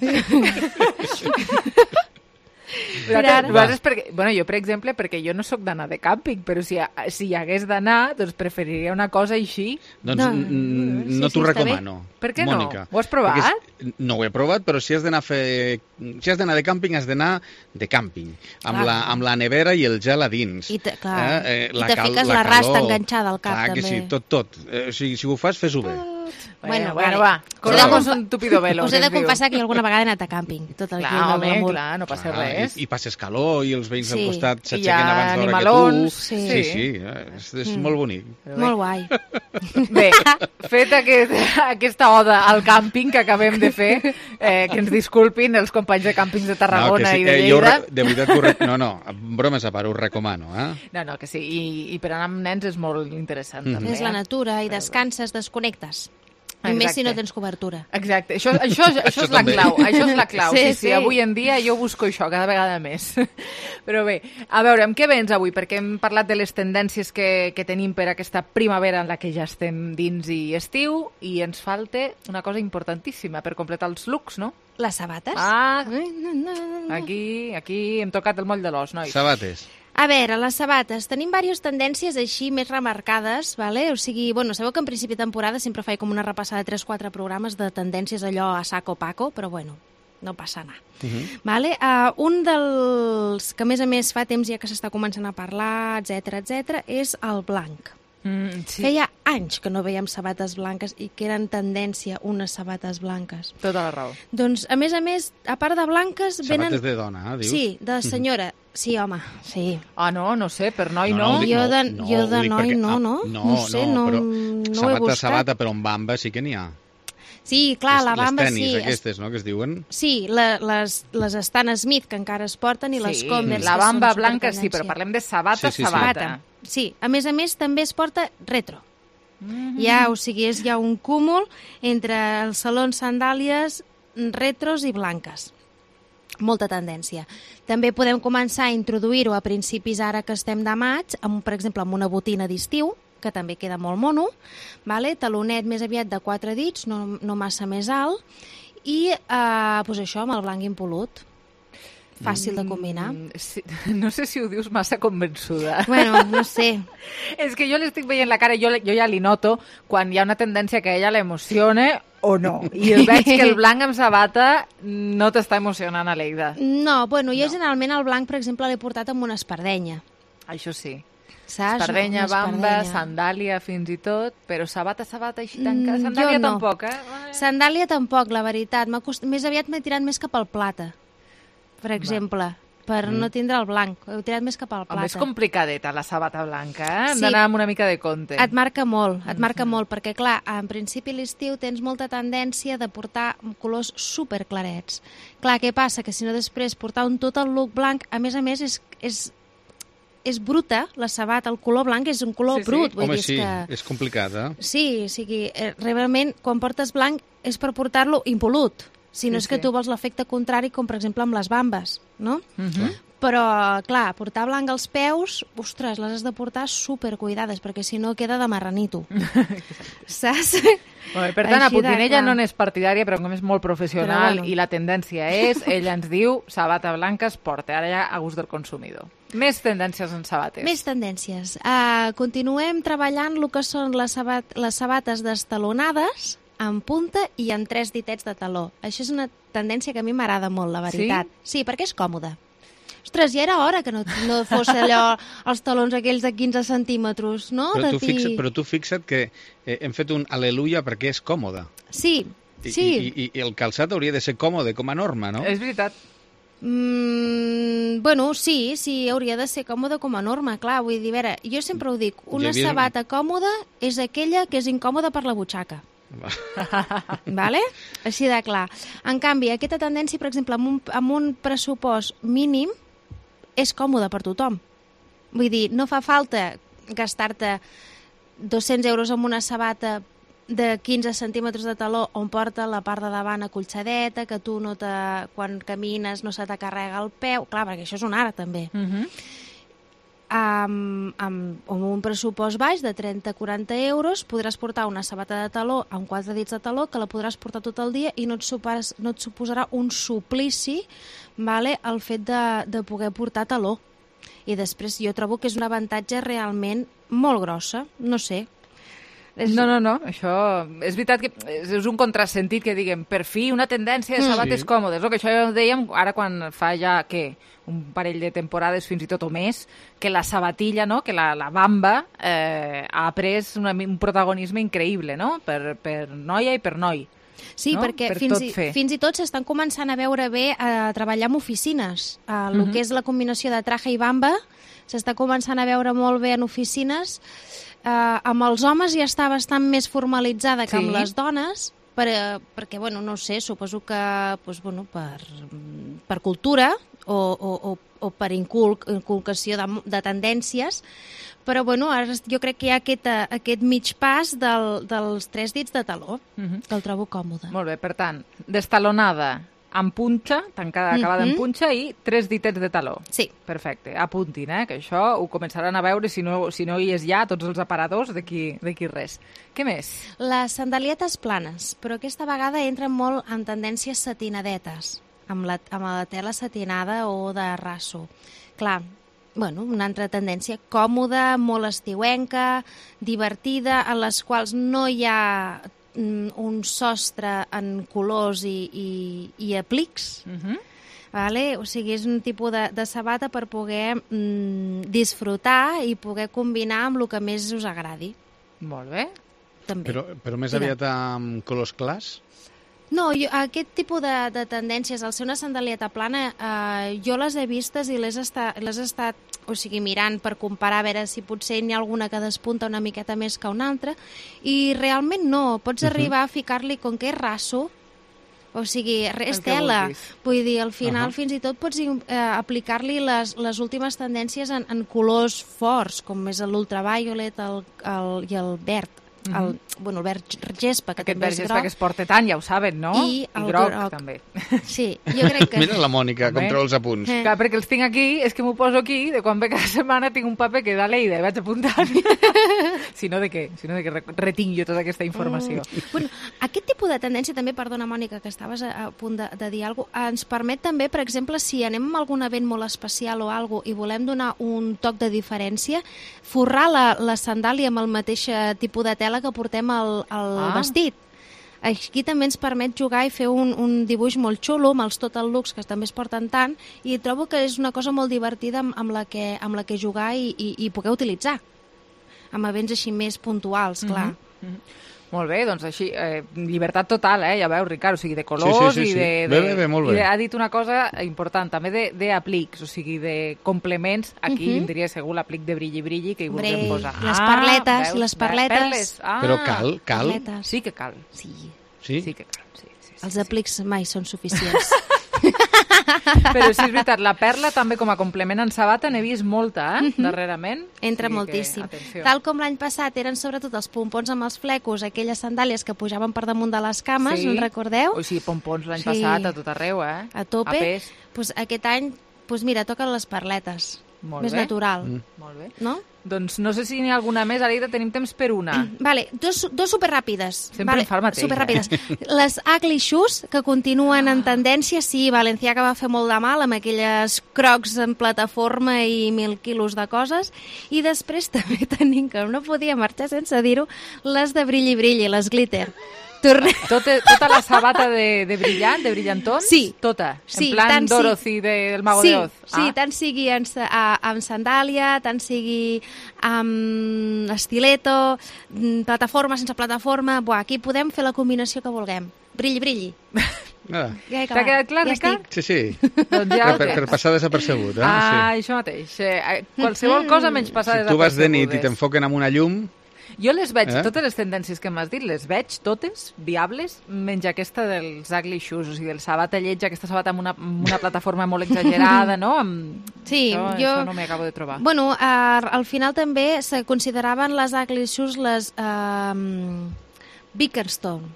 Vosaltres, perquè, bueno, jo, per exemple, perquè jo no sóc d'anar de càmping, però si, si hi hagués d'anar, doncs preferiria una cosa així. Doncs no, no, no sí, t'ho sí, recomano. Per què Mònica. no? Ho has provat? Perquè, no ho he provat, però si has d'anar a fer... Si has d'anar de càmping, has d'anar de càmping. Amb la, amb la nevera i el gel a dins. I te, clar, eh? Eh, I te cal, fiques la, la rasta enganxada al cap, clar, també. Clar que sí, tot, tot. Eh, si, si ho fas, fes-ho bé. Bueno, bueno, va. Corramos un tupido velo. Us he de confessar que jo alguna vegada he anat a càmping. Tot el clar, home, clar, no passa clar, res. I, I passes calor i els veïns sí. al costat s'aixequen abans d'hora que tu. Sí, sí, sí és, és mm. molt bonic. Molt guai. Bé, fet aquest, aquesta oda al càmping que acabem de fer, eh, que ens disculpin els companys de càmpings de Tarragona no, sí, i de Lleida. Eh, jo, re, de veritat, re... no, no, bromes a part, ho recomano. Eh? No, no, que sí, i, i per anar amb nens és molt interessant. Mm. també. És la natura i descanses, desconnectes. I més si no tens cobertura. Exacte, això, això, això, això és la clau, això és la clau. Sí, sí, sí, avui en dia jo busco això cada vegada més. Però bé, a veure, amb què vens avui? Perquè hem parlat de les tendències que, que tenim per aquesta primavera en la que ja estem dins i estiu, i ens falta una cosa importantíssima per completar els looks, no? Les sabates. Ah, aquí, aquí hem tocat el moll de l'os, nois. Sabates. A veure, les sabates. Tenim diverses tendències així més remarcades, vale? O sigui, bueno, sabeu que en principi de temporada sempre faig com una repassada de tres quatre programes de tendències allò a saco paco, però bueno, no passa anar. Uh-huh. Vale? Uh, un dels que a més a més fa temps ja que s'està començant a parlar, etc etc, és el blanc. Mm, sí. Feia anys que no veiem sabates blanques i que eren tendència unes sabates blanques. Tota la raó. Doncs, a més a més, a part de blanques... Sabates venen... de dona, eh, dius? Sí, de senyora. Sí, home, sí. Ah, no, no sé, per noi no. no. no. Jo de, no, jo de noi perquè, no, no. No, no, sé, no, no, però no sabata, ho he buscat. sabata, però amb bamba sí que n'hi ha. Sí, clar, la bamba les tenis, sí. Les aquestes, no?, que es diuen. Sí, la, les, les Stan Smith, que encara es porten, i sí, les Converse, la bamba que blanca sí, però parlem de sabata, sí, sí, sabata. Sí. sí, a més a més també es porta retro. Mm-hmm. Ja, o sigui, és ja un cúmul entre els salons sandàlies retros i blanques. Molta tendència. També podem començar a introduir-ho a principis ara que estem de maig, amb, per exemple, amb una botina d'estiu, que també queda molt mono, vale? Talonet més aviat de quatre dits, no, no massa més alt, i eh, pues això, amb el blanc impolut. Fàcil de combinar. Mm, sí, no sé si ho dius massa convençuda. Bueno, no sé. És que jo l'estic veient la cara, jo, jo ja li noto quan hi ha una tendència que a ella l'emocione o no. I el veig que el blanc amb sabata no t'està emocionant, Aleida. No, bueno, jo no. generalment el blanc, per exemple, l'he portat amb una espardenya. Això sí. Saps? Espardenya, bamba, sandàlia fins i tot, però sabata, sabata així tancada. Mm, sandàlia no. tampoc, eh? Sandàlia tampoc, la veritat. Cost... Més aviat m'he tirat més cap al plata, per exemple, Va. per mm. no tindre el blanc. He tirat més cap al plata. Home, és complicadeta la sabata blanca, eh? Hem sí. d'anar amb una mica de compte. Et marca molt, et marca mm-hmm. molt, perquè clar, en principi l'estiu tens molta tendència de portar colors superclarets. Clar, què passa? Que si no després portar un tot el look blanc, a més a més és... és és bruta, la sabata, el color blanc és un color sí, sí. brut. Vull Home, dir, sí, que... és complicat, eh? Sí, o sigui, realment, quan portes blanc és per portar-lo impolut. Si no sí, és que sí. tu vols l'efecte contrari, com per exemple amb les bambes, no? Uh-huh. Però, clar, portar blanc als peus, ostres, les has de portar supercuidades, perquè si no queda de marranito. Saps? Bueno, per tant, a Putinella no n'és partidària, però com és molt professional bueno. i la tendència és, ella ens diu, sabata blanca es porta, ara ja a gust del consumidor. Més tendències en sabates. Més tendències. Uh, continuem treballant el que són les, sabat les sabates destalonades, en punta i amb tres ditets de taló. Això és una tendència que a mi m'agrada molt, la veritat. Sí? Sí, perquè és còmode. Ostres, ja era hora que no, no fos allò, els talons aquells de quinze centímetres, no? Però tu, fi... fixa't, però tu fixa't que eh, hem fet un al·leluia perquè és còmode. Sí, I, sí. I, i, I el calçat hauria de ser còmode com a norma, no? És veritat. Mm, bueno, sí, sí, hauria de ser còmode com a norma, clar, vull dir, a veure, jo sempre ho dic, una havia... sabata còmoda és aquella que és incòmoda per la butxaca. Vale? Així de clar. En canvi, aquesta tendència, per exemple, amb un, amb un pressupost mínim, és còmode per tothom. Vull dir, no fa falta gastar-te dos-cents euros en una sabata de quinze centímetres de taló on porta la part de davant acolxadeta, que tu no te, quan camines no se te carrega el peu. Clar, perquè això és un art, també. Uh-huh. amb, amb, amb un pressupost baix de trenta a quaranta euros podràs portar una sabata de taló amb quatre dits de taló que la podràs portar tot el dia i no et, supas, no et suposarà un suplici, vale, el fet de, de poder portar taló. I després jo trobo que és un avantatge realment molt grossa, no sé. És... No, no, no, això és veritat que és un contrasentit que diguem, per fi una tendència de sabates sí. còmodes, no? Que això ja ho dèiem ara quan fa ja, què, un parell de temporades fins i tot o més, que la sabatilla, no? Que la, la bamba eh, ha pres una, un protagonisme increïble, no? Per, per noia i per noi. Sí, no? perquè per fins, i, fins i tot s'estan començant a veure bé a treballar en oficines. El uh-huh. que és la combinació de traje i bamba s'està començant a veure molt bé en oficines. Uh, amb els homes ja està bastant més formalitzada que sí. amb les dones, per, perquè, bueno, no sé, suposo que pues, bueno, per, per cultura o, o, o, o per inculc, inculcació de, de tendències, però bueno, ara jo crec que hi ha aquest, aquest mig pas del, dels tres dits de taló, uh-huh. que el trobo còmode. Molt bé, per tant, destalonada amb punxa, tancada, acabada mm-hmm. en punxa i tres ditets de taló. Sí. Perfecte, apuntin, eh, que això ho començaran a veure, si no, si no hi és ja, tots els aparadors, d'aquí res. Què més? Les sandalietes planes, però aquesta vegada entren molt en tendències satinadetes, amb la, amb la tela satinada o de raso. Clar, bueno, una altra tendència còmoda, molt estiuenca, divertida, en les quals no hi ha un sostre en colors i, i, i aplics, uh-huh. vale? O sigui, és un tipus de, de sabata per poder mm, disfrutar i poder combinar amb el que més us agradi. Molt bé. També. Però, però més Mira. aviat amb colors clars? No, jo, aquest tipus de, de tendències, al ser una sandalieta plana, eh, jo les he vistes i les he estat, les he estat o sigui, mirant per comparar a veure si potser n'hi ha alguna que despunta una miqueta més que una altra, i realment no, pots uh-huh. arribar a ficar-li com que és raso, o sigui, és tela. Vull dir, al final uh-huh. fins i tot pots eh, aplicar-li les, les últimes tendències en, en colors forts, com és l'ultraviolet el, el, i el verd. El, mm-hmm. bueno, el verd gespa, que aquest també és gespa groc. que es porta tant, ja ho saben, no? I, I groc, groc, també. Sí, jo crec que... Mira la Mònica, com treu els apunts. Eh. Clar, perquè els tinc aquí, és que m'ho poso aquí, de quan ve cada setmana tinc un paper que da Leida i vaig apuntant. si no de què? Si no de què retinc jo tota aquesta informació. Mm. Bueno, aquest tipus de tendència també, perdona, Mònica, que estaves a, a punt de, de dir alguna cosa, ens permet també, per exemple, si anem a algun event molt especial o alguna cosa i volem donar un toc de diferència, forrar la, la sandàlia amb el mateix tipus de tela que portem al el ah. vestit. Aquí també ens permet jugar i fer un, un dibuix molt xulo amb els total looks que també es porten tant i trobo que és una cosa molt divertida amb, amb, la, que, amb la que jugar i, i, i poder utilitzar amb events així més puntuals, clar. Mm-hmm. Mm-hmm. Molt bé, doncs així, eh, llibertat total, eh? Ja veus, Ricard, o sigui, de colors sí, sí, sí, i de... sí. de bé, bé, bé, molt bé. I ha dit una cosa important, també d'aplics, o sigui, de complements. Aquí uh-huh. vindria segur l'aplic de brilli-brilli que hi vulguem posar. Les perletes, ah, veus, les perletes. Perles. Ah, Però cal, cal? Perletes. Sí que cal. Sí. Sí? Sí que cal, sí. sí, sí Els sí. aplics mai són suficients. Però sí, és veritat, la perla també com a complement en sabata n'he vist molta, eh, uh-huh. darrerament. Entra sí moltíssim. Que, Tal com l'any passat eren sobretot els pompons amb els flecos, aquelles sandàlies que pujaven per damunt de les cames, sí. no en recordeu? O sigui, pompons l'any sí. passat a tot arreu, eh? A tope. A pues aquest any, pues mira, toquen les perletes. Molt més bé. natural. Mm. Molt bé. No? Doncs no sé si n'hi ha alguna més, Aleida, tenim temps per una. Vale, dos, dos superràpides. Sempre vale, em fa el mateix. Superràpides. Eh? Les ugly shoes, que continuen en tendència, sí, Valenciaga va fer molt de mal amb aquelles crocs en plataforma i mil quilos de coses, i després també tenim, que no podia marxar sense dir-ho, les de brilli-brilli, les glitter. Torne... Tot, tota la sabata de, de brillant, de brillantons? Sí. Tota? Sí, en plan sí. Dorothy del Mago sí, de Oz? Sí, ah. tant sigui en, a, amb sandàlia, tant sigui amb estileto, plataforma sense plataforma... Buah, aquí podem fer la combinació que vulguem. Brilli, brilli. Ah. Ja T'ha quedat clar, ja Ricard? Sí, sí. Doncs ja per, per passar desapercebut. Eh? Ah, sí. això mateix. Eh, qualsevol cosa menys passar si desapercebudes. Tu vas de nit i t'enfoquen amb una llum... Jo les veig, eh? totes les tendències que m'has dit, les veig totes viables, menys aquesta dels ugly shoes, o sigui, del sabata lletja, aquesta sabata amb una, amb una plataforma molt exagerada, no? Amb... Sí, això, jo... Això no m'hi acabo de trobar. Bueno, uh, al final també se consideraven les ugly shoes les uh, Bickerstone.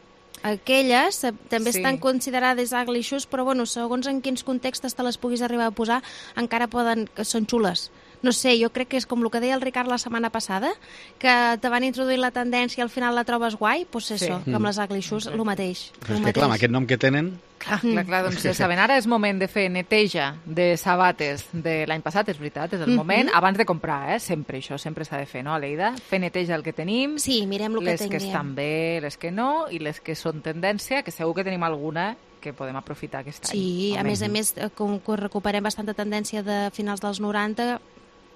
Aquelles uh, també sí. estan considerades ugly shoes, però bueno, segons en quins contextes te les puguis arribar a posar, encara poden, que són xules. no sé, jo crec que és com el que deia el Ricard la setmana passada, que te van introduir la tendència i al final la trobes guai, doncs és sí. això, que amb les ugly shoes, el mateix. Però és que clar, amb aquest nom que tenen... Clar, clar, clar, doncs ja saben, ara és moment de fer neteja de sabates de l'any passat, és veritat, és el moment, mm-hmm. abans de comprar, eh? Sempre això, sempre s'ha de fer, no, Aleida? Fer neteja el que tenim, sí, mirem el que les tinguem. que estan bé, les que no, i les que són tendència, que segur que tenim alguna que podem aprofitar aquest any. Sí, a més a més, com que recuperem bastanta tendència de finals dels noranta,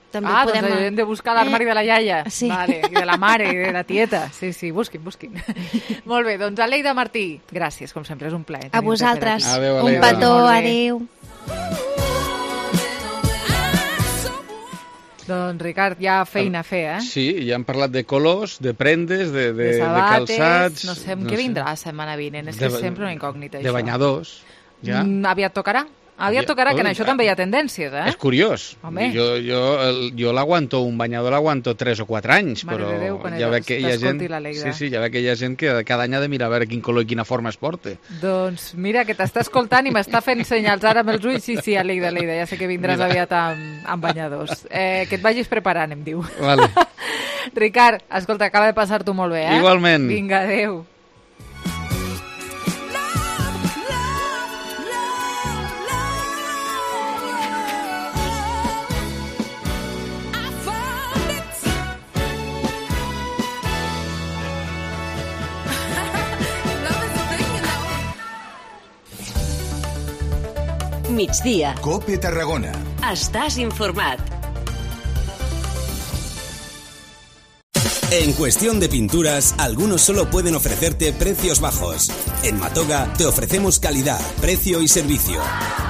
també ah, podem... doncs hem de buscar l'armari eh? de la iaia, sí. vale, i de la mare, i de la tieta. Sí, sí, busquin, busquin. Molt bé, doncs Aleida Martí, gràcies, com sempre, és un plaer. A vosaltres, adeu, un petó, adéu. Doncs, Ricard, hi ha feina a fer, eh? Sí, ja hem parlat de colors, de prendes, de, de, de, sabates, de calçats... No sé, amb no què vindrà la setmana vinent, és de, que és sempre una incògnita, de això. De banyadors, ja. Mm, aviat tocarà. Aviat tocarà, que en això també hi ha tendències, eh? És curiós. Home. Jo, jo, jo l'aguanto, un banyador l'aguanto tres o quatre anys, Mare però de Déu, quan ja veig que hi ha gent... Sí, sí, ja veig que hi ha gent que cada any ha de mirar a veure quin color i quina forma es porta. Doncs mira, que t'està escoltant i m'està fent senyals ara amb els ulls. Sí, sí, Aleida, Aleida, ja sé que vindràs mira. aviat amb, amb banyadors. Eh, que et vagis preparant, em diu. Vale. Ricard, escolta, acaba de passar-t'ho molt bé, eh? Igualment. Vinga, adéu. Migdia. COPE Tarragona. Estàs informat. En cuestión de pinturas, algunos solo pueden ofrecerte precios bajos. En Matoga te ofrecemos calidad, precio y servicio.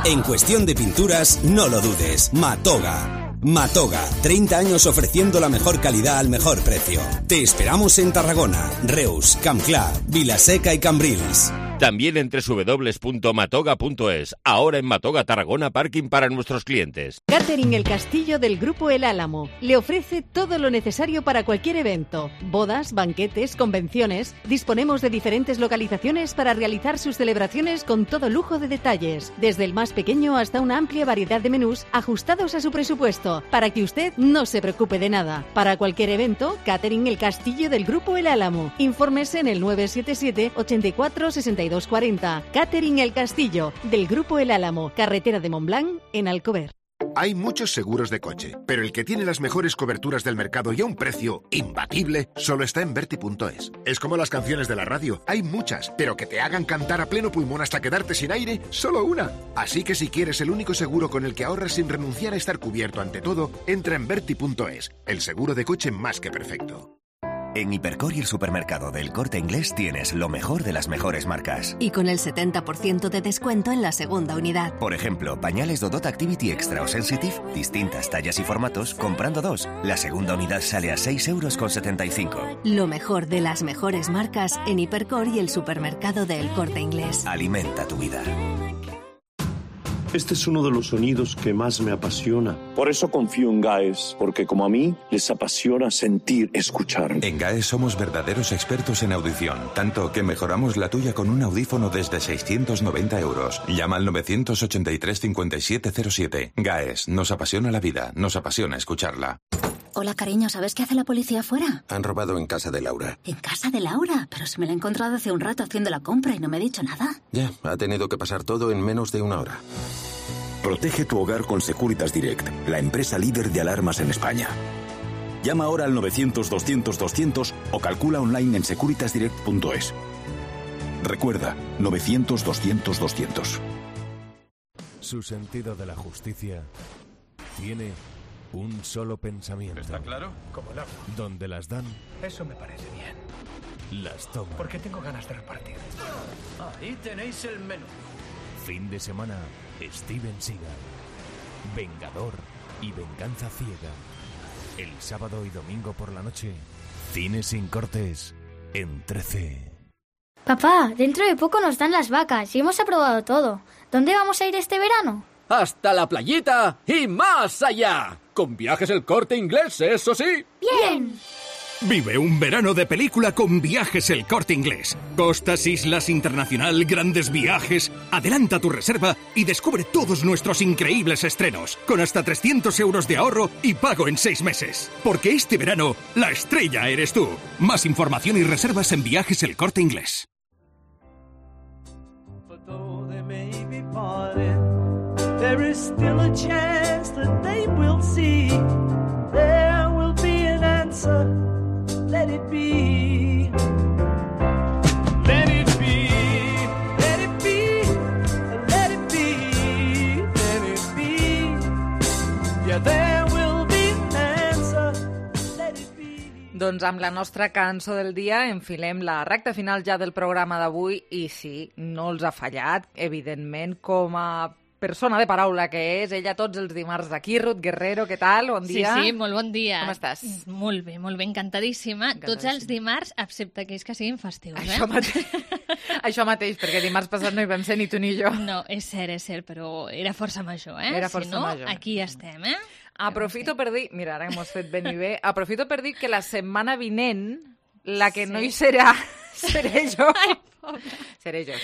En cuestión de pinturas, no lo dudes. Matoga. Matoga, treinta años ofreciendo la mejor calidad al mejor precio. Te esperamos en Tarragona, Reus, Campclà, Vilaseca y Cambrils. También en doble u doble u doble u punto matoga punto es. Ahora en Matoga Tarragona, parking para nuestros clientes. Catering El Castillo del Grupo El Álamo le ofrece todo lo necesario para cualquier evento. Bodas, banquetes, convenciones. Disponemos de diferentes localizaciones para realizar sus celebraciones con todo lujo de detalles. Desde el más pequeño hasta una amplia variedad de menús ajustados a su presupuesto, para que usted no se preocupe de nada. Para cualquier evento, Catering El Castillo del Grupo El Álamo. Infórmese en el nueve siete siete, ochenta y cuatro, sesenta y dos cuarenta. Catering El Castillo, del Grupo El Álamo, carretera de Montblanc, en Alcover. Hay muchos seguros de coche, pero el que tiene las mejores coberturas del mercado y a un precio imbatible solo está en Berti punto es. Es como las canciones de la radio, hay muchas, pero que te hagan cantar a pleno pulmón hasta quedarte sin aire, solo una. Así que si quieres el único seguro con el que ahorras sin renunciar a estar cubierto ante todo, entra en Berti punto es, el seguro de coche más que perfecto. En Hipercor y el supermercado del Corte Inglés tienes lo mejor de las mejores marcas. Y con el setenta por ciento de descuento en la segunda unidad. Por ejemplo, pañales Dodot Activity Extra o Sensitive, distintas tallas y formatos, comprando dos. La segunda unidad sale a seis euros con setenta y cinco. Lo mejor de las mejores marcas en Hipercor y el supermercado del Corte Inglés. Alimenta tu vida. Este es uno de los sonidos que más me apasiona. Por eso confío en GAES, porque como a mí, les apasiona sentir, escuchar. En GAES somos verdaderos expertos en audición, tanto que mejoramos la tuya con un audífono desde seiscientos noventa euros. Llama al nueve ocho tres, cinco siete cero siete. GAES, nos apasiona la vida, nos apasiona escucharla. Hola, cariño, ¿sabes qué hace la policía afuera? Han robado en casa de Laura. ¿En casa de Laura? Pero si me la he encontrado hace un rato haciendo la compra y no me ha dicho nada. Ya, ha tenido que pasar todo en menos de una hora. Protege tu hogar con Securitas Direct, la empresa líder de alarmas en España. Llama ahora al novecientos, doscientos, doscientos o calcula online en securitas direct punto es. Recuerda, novecientos, doscientos, doscientos. Su sentido de la justicia tiene un solo pensamiento. ¿Está claro? Como el agua. Donde las dan, Eso me parece bien. las toman. Porque tengo ganas de repartir. Ahí tenéis el menú. Fin de semana, Steven Seagal, Vengador y Venganza Ciega. El sábado y domingo por la noche, Cine sin cortes en trece. Papá, dentro de poco nos dan las vacas y hemos aprobado todo. ¿Dónde vamos a ir este verano? Hasta la playita y más allá. Con Viajes El Corte Inglés, eso sí. ¡Bien! Vive un verano de película con Viajes El Corte Inglés. Costas, islas, internacional, grandes viajes. Adelanta tu reserva y descubre todos nuestros increíbles estrenos, con hasta trescientos euros de ahorro y pago en seis meses. Porque este verano, la estrella eres tú. Más información y reservas en Viajes El Corte Inglés. There is still a chance that they will see. There will be an answer. Let it be. Let it be. Let it be. Let it be. Let it be. Yeah, there will be an answer. Let it be. Doncs amb la nostra cançó del dia enfilem la recta final ja del programa d'avui i sí, no els ha fallat, evidentment, com a persona de paraula que és, ella tots els dimarts d'aquí. Ruth Guerrero, què tal? Bon dia. Sí, sí, molt bon dia. Com estàs? Molt bé, molt bé, encantadíssima. encantadíssima. Tots els dimarts, excepte aquells que siguin festius, eh? Això mateix, Això mateix perquè dimarts passat no hi vam ser ni tu ni jo. No, és cert, és cert, però era força major, eh? Era força si no, major. Aquí estem, eh? Aprofito per dir, mira, ara que m'ho has fet ben i bé, aprofito per dir que la setmana vinent, la que sí. no hi serà, seré jo. Ai, seré jo,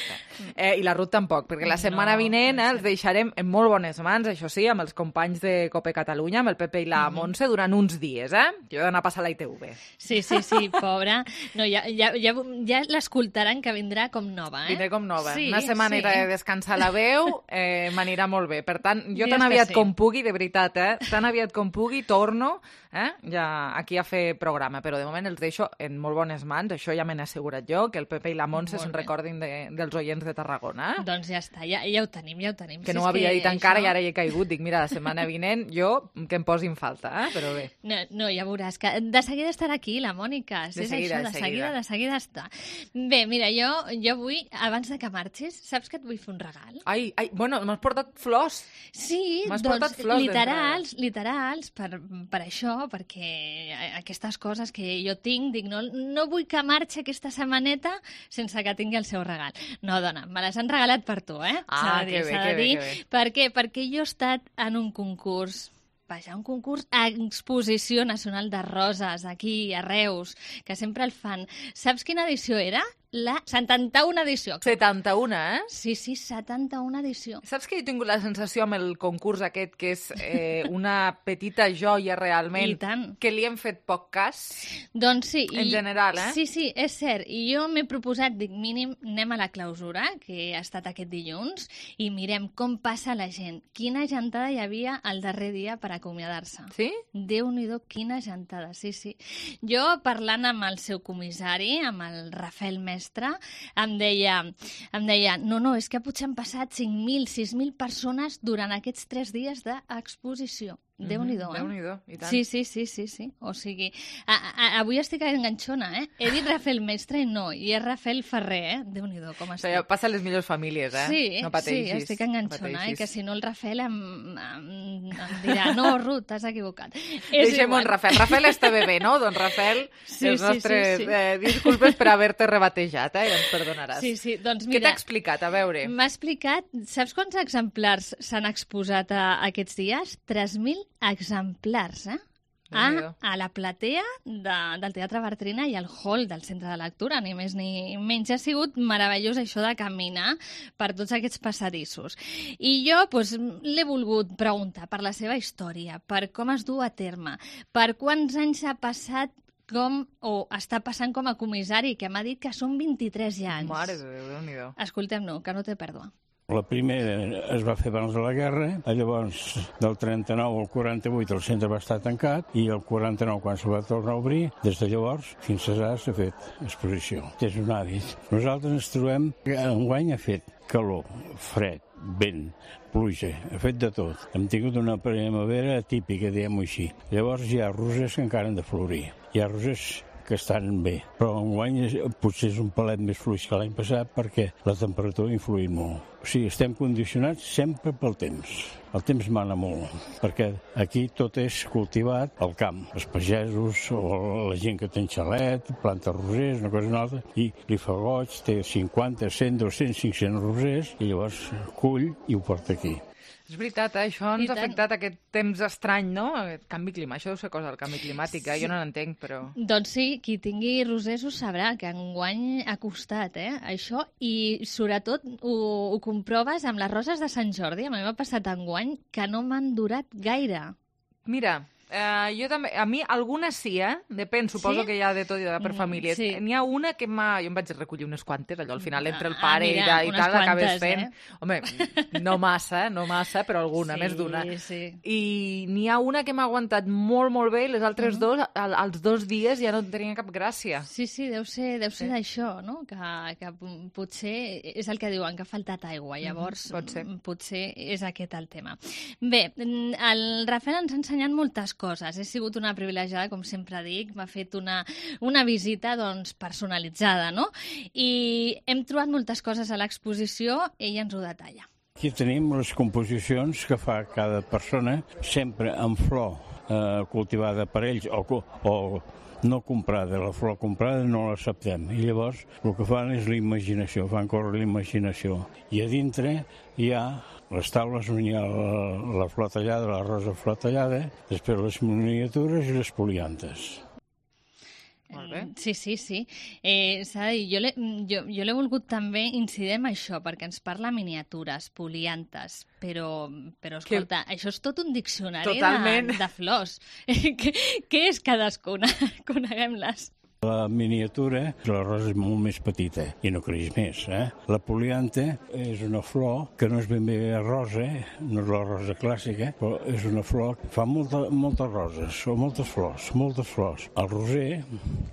eh, i la Ruth tampoc, perquè la setmana no, vinent eh, els deixarem en molt bones mans, això sí, amb els companys de Cope Catalunya, amb el Pepe i la mm -hmm. Montse, durant uns dies, eh? Jo he d'anar a passar a la I T V. Sí, sí, sí, pobra. No, ja ja, ja, ja l'escoltaran, que vindrà com nova, eh? Vindré com nova. Sí, Una setmaneta sí. de descansar la veu eh, m'anirà molt bé. Per tant, jo Dius tan aviat sí. com pugui, de veritat, eh? Tan aviat com pugui, torno eh? ja aquí a fer programa, però de moment els deixo en molt bones mans, això ja me n'he assegurat jo, que el Pepe i la Montse se'n recordin de, dels oients de Tarragona. Doncs ja està, ja, ja ho tenim, ja ho tenim. Que si no ho havia que dit encara això... i ara hi he caigut. Dic, mira, la setmana vinent jo que em posin falta, eh? Però bé. No, no, ja veuràs que de seguida estarà aquí la Mònica. Si de és seguida, això, de de seguida. seguida, de seguida està. Bé, mira, jo, jo vull, abans de que marxis, saps que et vull fer un regal? Ai, ai, bueno, m'has portat flors. Sí, m'has doncs portat flors literals, literals, per, per això, perquè aquestes coses que jo tinc, dic, no, no vull que marxi aquesta setmaneta sense que tingui el seu regal. No, dona, me les han regalat per tu, eh? Ah, s'ha de dir, que bé, s'ha de que bé, dir. que bé. Per què? Perquè jo he estat en un concurs, vaja, un concurs a Exposició Nacional de Roses, aquí, a Reus, que sempre el fan. Saps quina edició era? La setanta-una edició. setanta-una, eh? Sí, sí, setanta-una edició. Saps que he tingut la sensació amb el concurs aquest, que és eh, una petita joia realment, I tant. que li hem fet poc cas? Doncs sí. En i, general, eh? Sí, sí, és cert. I jo m'he proposat, dic, mínim, anem a la clausura, que ha estat aquest dilluns, i mirem com passa la gent. Quina gentada hi havia el darrer dia per acomiadar-se. Sí? Déu-n'hi-do, quina gentada, sí, sí. Jo, parlant amb el seu comissari, amb el Rafael Mestre, em deia, em deia, no, no, és que potser han passat cinc mil, sis mil persones durant aquests tres dies d'exposició. Déu-n'hi-do, eh? Déu-n'hi-do, i tant. Sí, sí, sí, sí, sí. O sigui, a, a, avui estic enganxona, eh? He dit Rafael Mestre i no, i és Rafael Ferrer, eh? Déu-n'hi-do, com estic. O sigui, passa a les millors famílies, eh? Sí, no pateixis, sí, estic enganxona, no eh? Que si no el Rafael em, em, em dirà, no, Ruth, t'has equivocat. Deixem un Rafael. Rafael està bé bé, no? Doncs Rafael, sí, els sí, nostres sí, sí. Eh, disculpes per haver-te rebatejat, eh? I ens perdonaràs. Sí, sí, doncs mira... Què t'ha explicat? A veure. M'ha explicat, saps quants exemplars s'han exposat a, a aquests dies? tres mil exemplars, eh? A, a la platea de, del Teatre Bartrina i al hall del Centre de Lectura, ni més ni menys. Ha sigut meravellós això de caminar per tots aquests passadissos. I jo pues, l'he volgut preguntar per la seva història, per com es du a terme, per quants anys ha passat com, o està passant com a comissari, que m'ha dit que són vint-i-tres ja anys. Mare de Déu, Déu-n'hi-do. Escoltem-no, que no té pèrdua. La primera es va fer abans de la guerra, llavors del trenta-nou al quaranta-vuit el centre va estar tancat i el quaranta-nou, quan se va tornar a obrir, des de llavors fins ara s'ha fet exposició. És un hàbit. Nosaltres ens trobem que enguany ha fet calor, fred, vent, pluja, ha fet de tot. Hem tingut una primavera típica, diguem-ho així. Llavors hi ha rosers que encara han de florir. Hi ha rosers que estan bé, però enguany potser és un palet més fluix que l'any passat perquè la temperatura ha influït molt. O sigui, estem condicionats sempre pel temps. El temps mana molt, perquè aquí tot és cultivat al camp. Els pagesos o la gent que té xalet, planta rosers, una cosa o una altra, i li fa goig, té cinquanta, cent, dos-cents, cinc-cents rosers, i llavors cull i ho porta aquí. És veritat, eh? Això ens ha afectat aquest temps estrany, no? Aquest canvi climàtic. Això deu ser cosa del canvi climàtic, eh? Jo no n'entenc, però... Doncs sí, qui tingui rosers ho sabrà, que enguany ha costat, eh? Això, i sobretot ho, ho comproves amb les roses de Sant Jordi. A mi m'ha passat enguany que no m'han durat gaire. Mira... Uh, jo també, a mi algunes sí, eh? Depèn, suposo sí? que hi ha de tot i de per famílies. Sí. N'hi ha una que m'ha... Jo em vaig recollir unes quantes, allò al final entre el pare ah, mira, i, de, i tal, l'acabes fent. Eh? Home, no massa, no massa, però alguna, sí, més d'una. Sí. I n'hi ha una que m'ha aguantat molt, molt bé i les altres uh -huh. dos, al, als dos dies ja no tenien cap gràcia. Sí, sí, deu ser, deu ser sí. d'això, no? Que, que potser és el que diuen, que ha faltat aigua. Llavors, uh -huh. Pot ser. potser és aquest el tema. Bé, el Rafael ens ha ensenyat moltes coses. He sigut una privilegiada, com sempre dic. M'ha fet una, una visita doncs, personalitzada, no? I hem trobat moltes coses a l'exposició, ell ens ho detalla. Aquí tenim les composicions que fa cada persona, sempre amb flor eh, cultivada per ells o, o no comprada. La flor comprada no l'acceptem. I llavors el que fan és la imaginació, fan córrer la imaginació. I a dintre hi ha les taules on hi ha la, la flor tallada, la rosa flor tallada, després les miniatures i les poliantes. Molt bé. Sí, sí, sí. Eh, s'ha de dir, jo l'he jo, jo l'he volgut també incidir en això, perquè ens parla miniatures, poliantes, però, però escolta, que... això és tot un diccionari de, de flors. què, què és cadascuna? Coneguem-les. La miniatura, la rosa és molt més petita i no creix més. Eh? La poliante és una flor que no és ben bé rosa, no és la rosa clàssica, però és una flor que fa molta, moltes roses, o moltes flors, moltes flors. El roser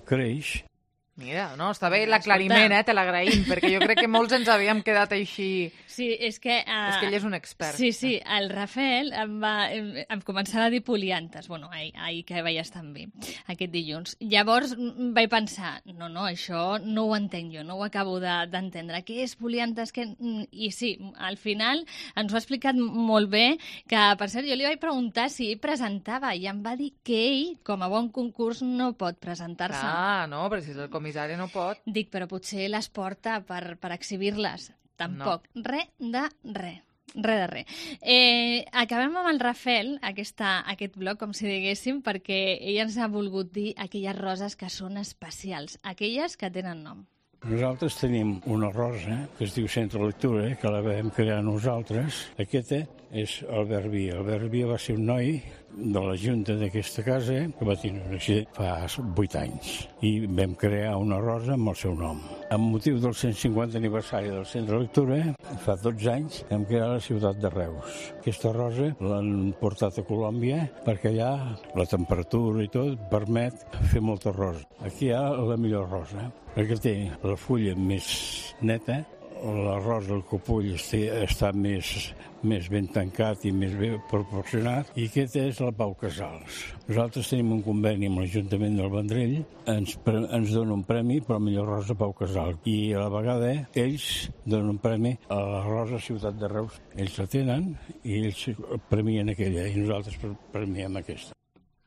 creix. Mira, no, està bé l'aclariment, eh? Te l'agraïm, perquè jo crec que molts ens havíem quedat així... Sí, és que... Uh... És que ell és un expert. Sí, sí, el Rafael em, va, em, em començava a dir poliantes, bueno, ahir, ahir que veies també, aquest dilluns. Llavors vaig pensar, no, no, això no ho entenc jo, no ho acabo d'entendre. De, Què és poliantes? Que... I sí, al final ens ho ha explicat molt bé, que per cert jo li vaig preguntar si ell presentava i em va dir que ell, com a bon concurs, no pot presentar-se. Ah, no, però si és el comissari no pot. Dic, però potser les porta per, per exhibir-les. Tampoc. No. Re de re. Re de re. Eh, acabem amb el Rafael, aquesta, aquest bloc, com si diguéssim, perquè ell ens ha volgut dir aquelles roses que són especials, aquelles que tenen nom. Nosaltres tenim una rosa que es diu Centre Lectura, que la vam crear nosaltres. Aquesta és Albert Via. Albert Via va ser un noi de la junta d'aquesta casa que va tenir un accident fa vuit anys i vam crear una rosa amb el seu nom. Amb motiu del cent cinquanta aniversari del Centre Lectura, fa dotze anys vam crear la ciutat de Reus. Aquesta rosa l'han portat a Colòmbia perquè allà la temperatura i tot permet fer molta rosa. Aquí hi ha la millor rosa, perquè té la fulla més neta, la rosa, el copull està més, més ben tancat i més ben proporcionat, i aquesta és la Pau Casals. Nosaltres tenim un conveni amb l'Ajuntament del Vendrell, ens, ens dona un premi per la millor rosa Pau Casals, i a la vegada ells donen un premi a la rosa Ciutat de Reus. Ells la tenen i ells premien aquella, i nosaltres premiem aquesta.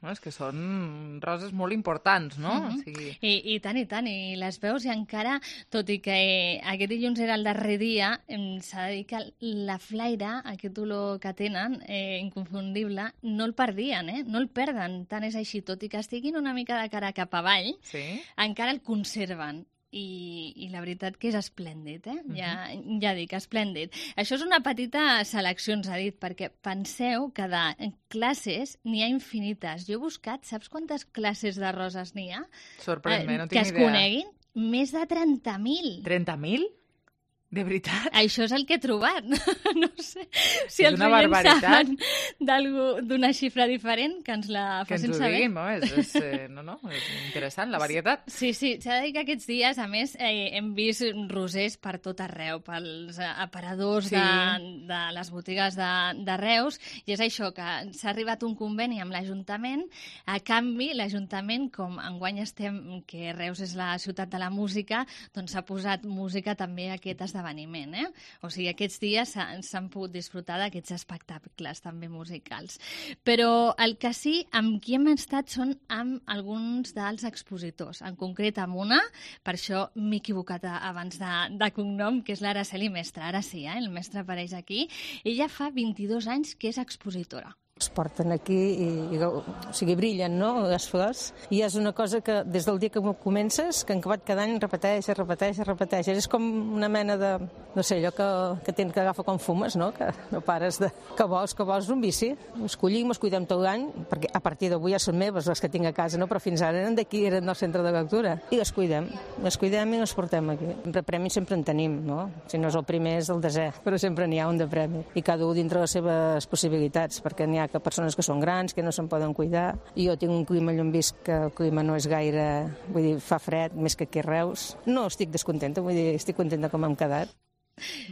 No, és que són roses molt importants, no? Mm-hmm. O sigui... I, I tant, i tant, i les veus, i encara, tot i que aquest dilluns era el darrer dia, s'ha de dir que la flaire, aquest olor que tenen, eh, inconfundible, no el perdien, eh? No el perden, tant és així, tot i que estiguin una mica de cara cap avall, sí. Encara el conserven. I, i la veritat que és esplèndid, eh? Uh-huh. Ja, ja dic, esplèndid. Això és una petita selecció, ens ha dit, perquè penseu que de classes n'hi ha infinites. Jo he buscat, saps quantes classes de roses n'hi ha? Sorprèn-me, no tinc idea. Que es idea. coneguin? Més de trenta mil. trenta mil? De veritat? Això és el que he trobat. No sé si els oients saben d'una xifra diferent, que ens la facin saber. Que ens ho diguin, no? És, és, eh, no, no, és interessant, la varietat. Sí, sí, s'ha de dir que aquests dies, a més, eh, hem vist rosers per tot arreu, pels aparadors sí. de, de les botigues de, de Reus, i és això, que s'ha arribat un conveni amb l'Ajuntament. A canvi, l'Ajuntament, com enguany estem, que Reus és la ciutat de la música, doncs s'ha posat música també a aquest esdeveniment esdeveniment, eh? O sigui, aquests dies s'han pogut disfrutar d'aquests espectacles també musicals. Però el que sí, amb qui hem estat són amb alguns dels expositors, en concret amb una, per això m'he equivocat abans de, de cognom, que és l'Araceli Mestre. Ara sí, eh? El mestre apareix aquí. Ella fa vint-i-dos anys que és expositora. Es porten aquí i, i o sigui, brillen, no?, les flors. I és una cosa que des del dia que comences, que en acabat cada any repeteix, repeteix, repeteix. És com una mena de, no sé, allò que, que tens que agafa com fumes, no?, que no pares de... Que vols, que vols un vici. Els collim, els cuidem tot l'any, perquè a partir d'avui ja són meves, les que tinc a casa, no?, però fins ara eren d'aquí, eren del centre de lectura. I les cuidem, les cuidem i les portem aquí. Sempre premis sempre en tenim, no? Si no és el primer, és el desè, però sempre n'hi ha un de premi. I cada un dintre les seves possibilitats, perquè n'hi ha que persones que són grans, que no se'n poden cuidar. I jo tinc un clima, allò on visc, que el clima no és gaire... Vull dir, fa fred, més que aquí a Reus. No estic descontenta, vull dir, estic contenta com hem quedat.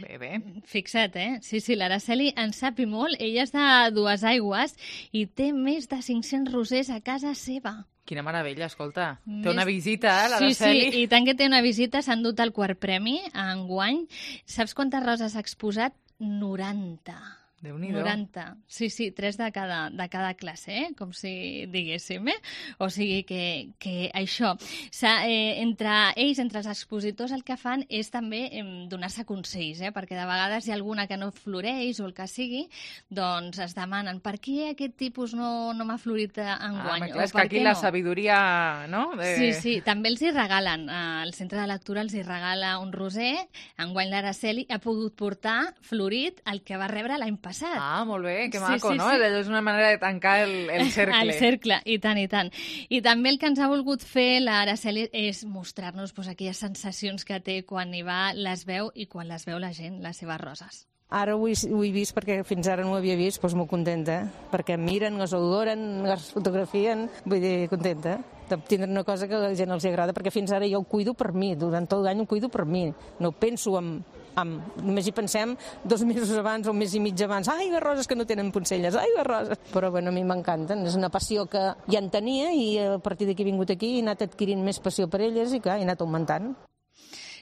Bé, bé. Fixa't, eh? Sí, sí, l'Araceli en sap i molt. Ella és de Duesaigües i té més de cinc-cents rosers a casa seva. Quina meravella, escolta. Més... Té una visita, eh, l'Araceli? Sí, sí, i tant que té una visita, s'han dut el quart premi enguany. Saps quantes roses ha exposat? noranta. Déu-n'hi-do. noranta. Sí, sí, tres de cada, de cada classe, eh? Com si diguéssim, eh? O sigui que, que això... Eh, entre ells, entre els expositors, el que fan és també eh, donar-se consells, eh? Perquè de vegades hi ha alguna que no floreix o el que sigui, doncs es demanen per què aquest tipus no, no m'ha florit enguany? Ah, clar, és que aquí la no? sabidoria, no? De... Sí, sí, també els hi regalen. Al centre de lectura els hi regala un roser. Enguany l'Araceli ha pogut portar florit el que va rebre l'any passat. Ah, molt bé, que maco, sí, sí, no? Sí. És una manera de tancar el, el cercle. El cercle, i tant, i tant. I també el que ens ha volgut fer l'Araceli és mostrar-nos pues, aquelles sensacions que té quan hi va, les veu i quan les veu la gent, les seves roses. Ara ho he, ho he vist perquè fins ara no ho havia vist, doncs molt contenta, perquè em miren, les adoren, les fotografien, vull dir, contenta de tindre una cosa que a la gent els agrada, perquè fins ara jo ho cuido per mi, durant tot l'any ho cuido per mi, no penso en... Amb, només hi pensem dos mesos abans o un mes i mig abans, ai, les roses que no tenen poncelles, ai, les roses. Però bueno, a mi m'encanten, és una passió que ja en tenia i a partir d'aquí he vingut aquí i he anat adquirint més passió per elles i clar, he anat augmentant.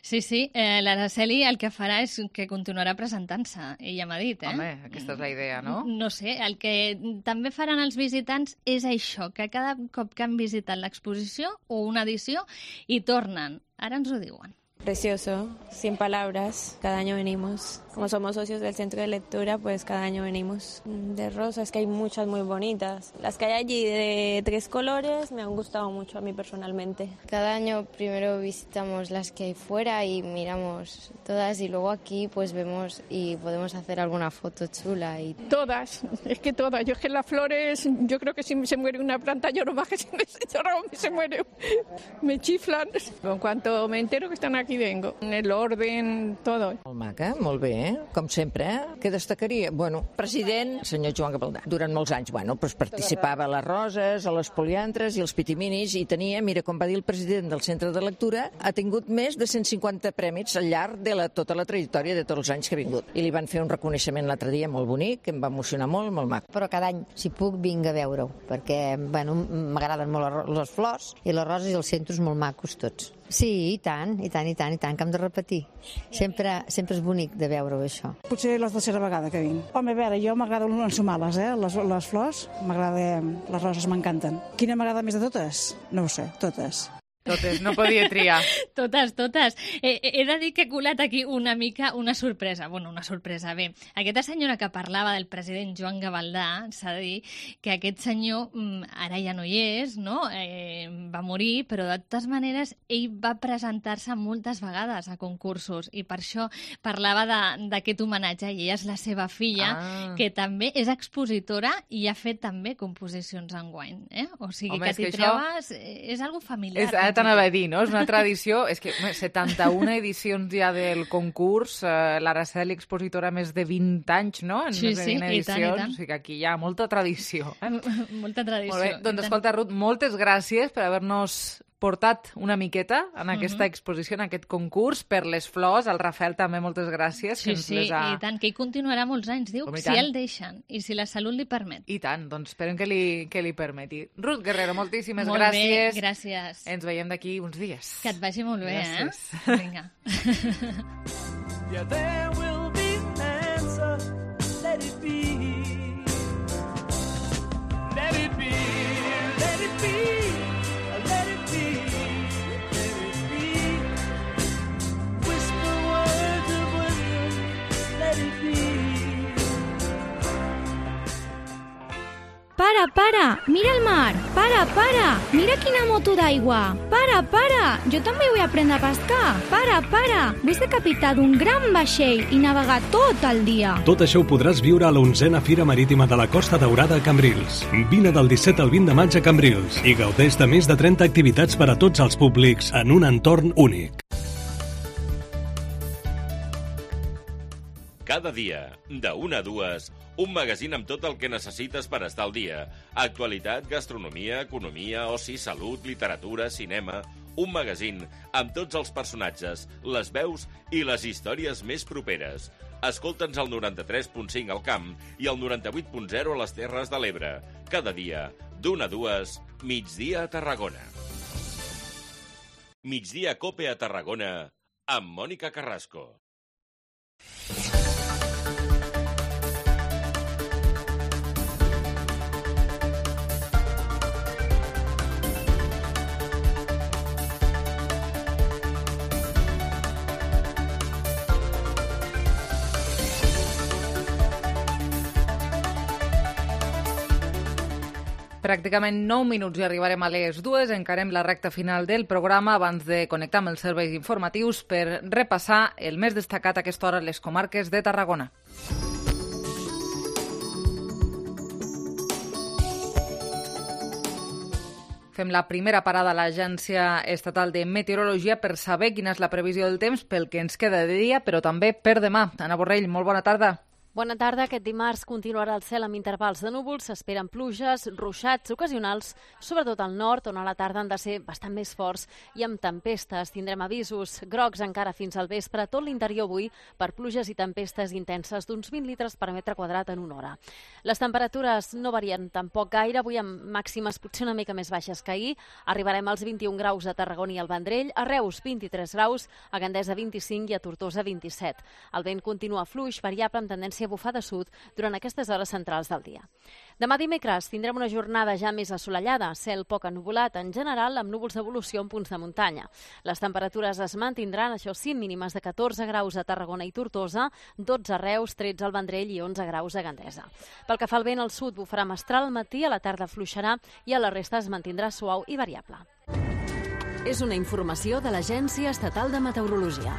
Sí, sí, eh, l'Araceli el que farà és que continuarà presentant-se, ella m'ha dit, eh? Home, aquesta és la idea, no? No sé, el que també faran els visitants és això, que cada cop que han visitat l'exposició o una edició hi tornen. Ara ens ho diuen. Precioso, sin palabras, cada año venimos. Como somos socios del centro de lectura, pues cada año venimos. De rosas, que hay muchas muy bonitas. Las que hay allí de tres colores me han gustado mucho a mí personalmente. Cada año primero visitamos las que hay fuera y miramos todas y luego aquí pues vemos y podemos hacer alguna foto chula. Y... Todas, es que todas. Yo es que las flores, yo creo que si se muere una planta lloro más que si me lloro, se muere. Me chiflan. En cuanto me entero que están aquí vengo. En el orden, todo. Molt maca, molt bé. Com sempre, eh? Què destacaria? Bueno, president, senyor Joan Gavaldà. Durant molts anys, bueno, doncs participava a les roses, a les poliantres i als pitiminis i tenia, mira, com va dir el president del centre de lectura, ha tingut més de cent cinquanta prèmits al llarg de la, tota la trajectòria de tots els anys que ha vingut. I li van fer un reconeixement l'altre dia molt bonic, que em va emocionar molt, molt maco. Però cada any, si puc, vinc a veure-ho, perquè, bueno, m'agraden molt les flors i les roses i els centres molt macos tots. Sí, i tant, i tant, i tant, i tant, que hem de repetir. Sempre, sempre és bonic de veure-ho, això. Potser la tercera vegada que vinc. Home, a veure, jo m'agrada ensumar-les, eh? Les, les flors, m'agrada, les roses m'encanten. Quina m'agrada més de totes? No ho sé, totes. Totes, no podia triar. Totes, totes. Eh, he de dir que he colat aquí una mica una sorpresa. Bueno, una sorpresa, bé. Aquesta senyora que parlava del president Joan Gavaldà, s'ha de dir que aquest senyor ara ja no hi és, no? Eh, va morir, però de totes maneres ell va presentar-se moltes vegades a concursos i per això parlava d'aquest homenatge i ella és la seva filla, ah. que també és expositora i ha fet també composicions enguany. Eh? O sigui, Home, que t'hi trobes... Això... És algo familiar. És t'anava a dir, no? És una tradició... És que setanta-una edicions ja del concurs, eh, l'Araceli expositora més de vint anys, no? En sí, més de sí, vint edicions, i tant, i tant. O sigui que aquí hi ha molta tradició. Eh? Molta tradició. Molt bé, doncs escolta, Ruth, moltes gràcies per haver-nos portat una miqueta en aquesta uh-huh. exposició, en aquest concurs, per les flors. Al Rafael també moltes gràcies. Sí, que ens sí, les ha... i tant, que hi continuarà molts anys, diu, Com si el deixen i si la salut li permet. I tant, doncs esperem que li, que li permeti. Ruth Guerrero, moltíssimes molt gràcies. Bé, gràcies. Ens veiem d'aquí uns dies. Que et vagi molt bé, gràcies. eh? Vinga. Yeah, there will be an answer. Let it be. Let it be. Let it be. Let it be. Let it be. Whisper words of wisdom. Let it be. Para, para, mira el mar. Para, para, mira quina moto d'aigua. Para, para, jo també vull aprendre a pescar. Para, para, vull ser capità d'un gran vaixell i navegar tot el dia. Tot això ho podràs viure a l'onzena Fira Marítima de la Costa Daurada a Cambrils. Vine del disset al vint de maig a Cambrils i gaudeix de més de trenta activitats per a tots els públics en un entorn únic. Cada dia, de una a dues, un magazín amb tot el que necessites per estar al dia. Actualitat, gastronomia, economia, oci, salut, literatura, cinema... Un magazín amb tots els personatges, les veus i les històries més properes. Escolta'ns al noranta-tres punt cinc al Camp i al noranta-vuit punt zero a les Terres de l'Ebre. Cada dia, d'una a dues, Migdia a Tarragona. Migdia Cope a Tarragona, amb Mònica Carrasco. Pràcticament nou minuts i arribarem a les dues. Encarem la recta final del programa abans de connectar amb els serveis informatius per repassar el més destacat a aquesta hora a les comarques de Tarragona. Fem la primera parada a l'Agència Estatal de Meteorologia per saber quina és la previsió del temps pel que ens queda de dia, però també per demà. Anna Borrell, molt bona tarda. Bona tarda. Aquest dimarts continuarà el cel amb intervals de núvols. S'esperen pluges, ruixats ocasionals, sobretot al nord, on a la tarda han de ser bastant més forts i amb tempestes. Tindrem avisos grocs encara fins al vespre a tot l'interior avui per pluges i tempestes intenses d'uns vint litres per metre quadrat en una hora. Les temperatures no varien tampoc gaire, avui amb màximes potser una mica més baixes que ahir. Arribarem als vint-i-un graus a Tarragona i al Vendrell, a Reus vint-i-tres graus, a Gandesa vint-i-cinc i a Tortosa vint-i-set. El vent continua fluix, variable amb tendència a bufar de sud durant aquestes hores centrals del dia. Demà dimecres tindrem una jornada ja més assolellada, cel poc ennuvolat en general amb núvols d'evolució en punts de muntanya. Les temperatures es mantindran, això sí, mínimes de catorze graus a Tarragona i Tortosa, dotze a Reus, tretze al Vendrell i onze graus a Gandesa. Pel que fa al vent, al sud bufarà mestral al matí, a la tarda fluixarà i a la resta es mantindrà suau i variable. És una informació de l'Agència Estatal de Meteorologia.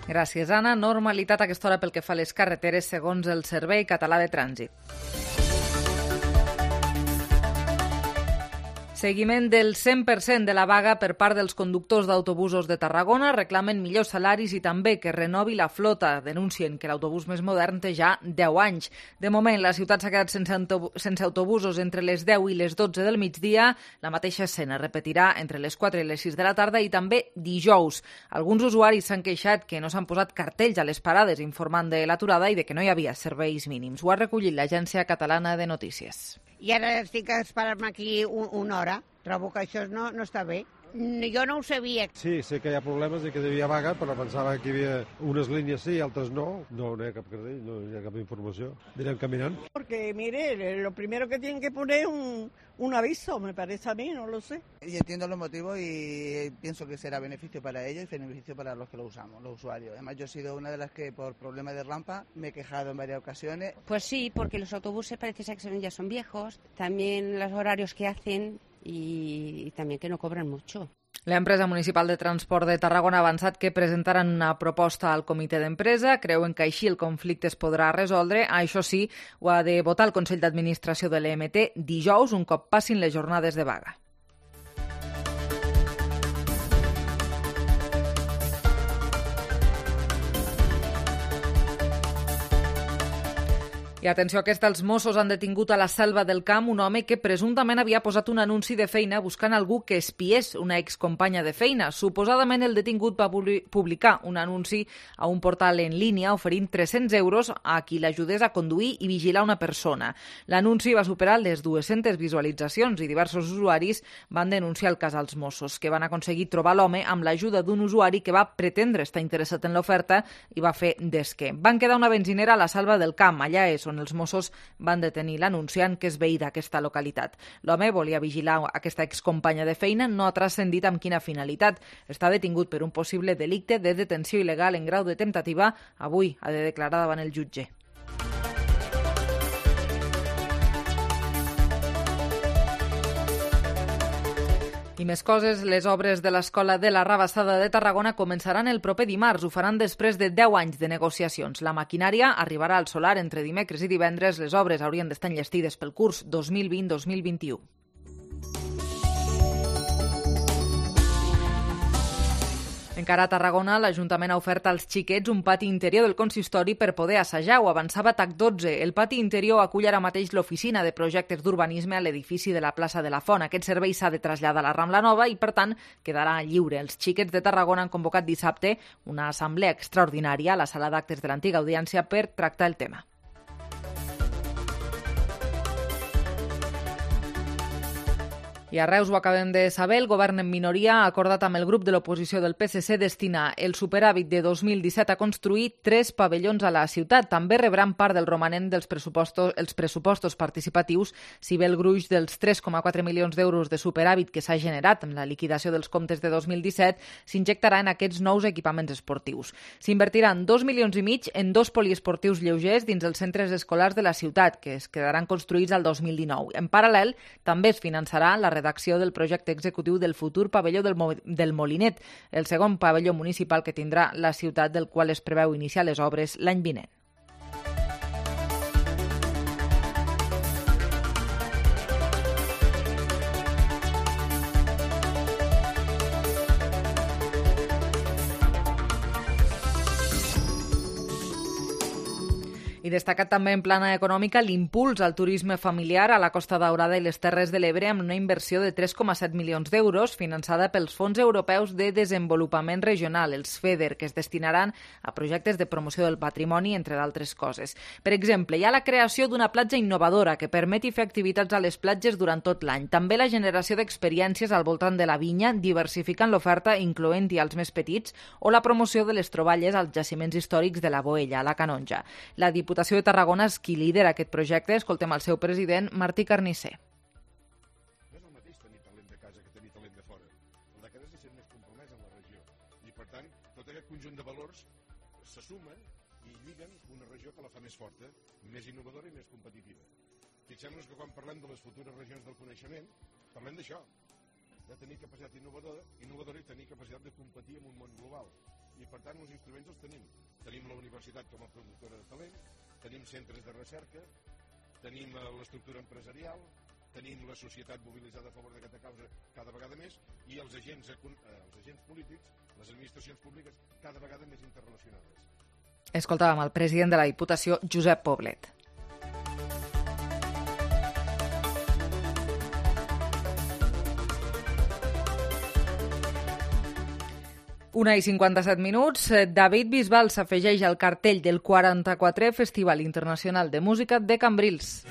Gràcies, Anna. Normalitat a aquesta hora pel que fa a les carreteres segons el Servei Català de Trànsit. Seguiment del cent per cent de la vaga per part dels conductors d'autobusos de Tarragona. Reclamen millors salaris i també que renovi la flota. Denuncien que l'autobús més modern té ja deu anys. De moment, la ciutat s'ha quedat sense, sense autobusos entre les deu i les dotze del migdia. La mateixa escena repetirà entre les quatre i les sis de la tarda i també dijous. Alguns usuaris s'han queixat que no s'han posat cartells a les parades informant de l'aturada i de que no hi havia serveis mínims. Ho ha recollit l'Agència Catalana de Notícies. I ara estic a esperar-me aquí un, una hora. Trobo que això no, no està bé. Jo no ho sabia. Sí, sé que hi ha problemes i que hi havia vaga, però pensava que hi havia unes línies sí i altres no. No, no hi ha cap cartell, no hi ha cap informació. Anirem caminant. Porque, mire, lo primero que tienen que poner es un, un aviso, me parece a mí, no lo sé. Y entiendo los motivos y pienso que será beneficio para ellos y beneficio para los que lo usamos, los usuarios. Además, yo he sido una de las que por problemas de rampa me he quejado en varias ocasiones. Pues sí, porque los autobuses parece ser que ya son viejos, también los horarios que hacen y también que no cobran mucho. L'empresa municipal de transport de Tarragona ha avançat que presentaran una proposta al comitè d'empresa. Creuen que així el conflicte es podrà resoldre. Això sí, ho ha de votar el Consell d'Administració de l'E M T dijous, un cop passin les jornades de vaga. I atenció a aquesta, els Mossos han detingut a la Selva del Camp un home que presumptament havia posat un anunci de feina buscant algú que espiés una excompanya de feina. Suposadament el detingut va publicar un anunci a un portal en línia oferint tres-cents euros a qui l'ajudés a conduir i vigilar una persona. L'anunci va superar les dues-centes visualitzacions i diversos usuaris van denunciar el cas als Mossos, que van aconseguir trobar l'home amb l'ajuda d'un usuari que va pretendre estar interessat en l'oferta i va fer d'esquer. Van quedar una benzinera a la Selva del Camp, allà és on els Mossos van detenir l'anunciant, que és veí d'aquesta localitat. L'home volia vigilar aquesta excompanya de feina, no ha transcendit amb quina finalitat. Està detingut per un possible delicte de detenció il·legal en grau de temptativa. Avui ha de declarar davant el jutge. I més coses, les obres de l'Escola de la Rabassada de Tarragona començaran el proper dimarts. Ho faran després de deu anys de negociacions. La maquinària arribarà al solar entre dimecres i divendres. Les obres haurien d'estar enllestides pel curs dos mil vint dos mil vint-i-u. Encara a Tarragona, l'Ajuntament ha ofert als xiquets un pati interior del consistori per poder assajar. Ho avançava T A C dotze. El pati interior acull ara mateix l'oficina de projectes d'urbanisme a l'edifici de la plaça de la Font. Aquest servei s'ha de traslladar a la Rambla Nova i, per tant, quedarà lliure. Els xiquets de Tarragona han convocat dissabte una assemblea extraordinària a la sala d'actes de l'antiga audiència per tractar el tema. I a Reus ho acabem de saber, el govern en minoria ha acordat amb el grup de l'oposició del P S C destinar el superàvit de dos mil disset a construir tres pavellons a la ciutat. També rebran part del romanent dels pressupostos, els pressupostos participatius, si bé el gruix dels tres coma quatre milions d'euros de superàvit que s'ha generat amb la liquidació dels comptes de dos mil disset s'injectarà en aquests nous equipaments esportius. S'invertiran dos milions i mig en dos poliesportius lleugers dins els centres escolars de la ciutat, que es quedaran construïts al dos mil dinou. En paral·lel, també es finançarà la redacció del projecte executiu del futur pavelló del, Mo del Molinet, el segon pavelló municipal que tindrà la ciutat, del qual es preveu iniciar les obres l'any vinent. I destacat també en plana econòmica l'impuls al turisme familiar a la Costa Daurada i les Terres de l'Ebre amb una inversió de tres coma set milions d'euros finançada pels Fons Europeus de Desenvolupament Regional, els FEDER, que es destinaran a projectes de promoció del patrimoni, entre d'altres coses. Per exemple, hi ha la creació d'una platja innovadora que permeti fer activitats a les platges durant tot l'any. També la generació d'experiències al voltant de la vinya, diversificant l'oferta, incloent-hi als més petits, o la promoció de les troballes als jaciments històrics de la Boella, a la Canonja. La Diputació de Tarragona és qui lidera aquest projecte. Escoltem el seu president, Martí Carnisser. No és el mateix tenir talent de casa que tenir talent de fora. El de casa és ser més compromès en la regió. I, per tant, tot aquest conjunt de valors se sumen i lliguen una regió que la fa més forta, més innovadora i més competitiva. Fixem-nos que quan parlem de les futures regions del coneixement, parlem d'això, de tenir capacitat innovadora, innovadora i tenir capacitat de competir en un món global. I, per tant, els instruments els tenim. Tenim la universitat com a productora de talent, tenim centres de recerca, tenim l'estructura empresarial, tenim la societat mobilitzada a favor d'aquesta causa cada vegada més i els agents, els agents polítics, les administracions públiques cada vegada més interrelacionades. Escoltàvem el president de la Diputació, Josep Poblet. Una i cinquanta-set minuts. David Bisbal s'afegeix al cartell del quaranta-quatrè Festival Internacional de Música de Cambrils.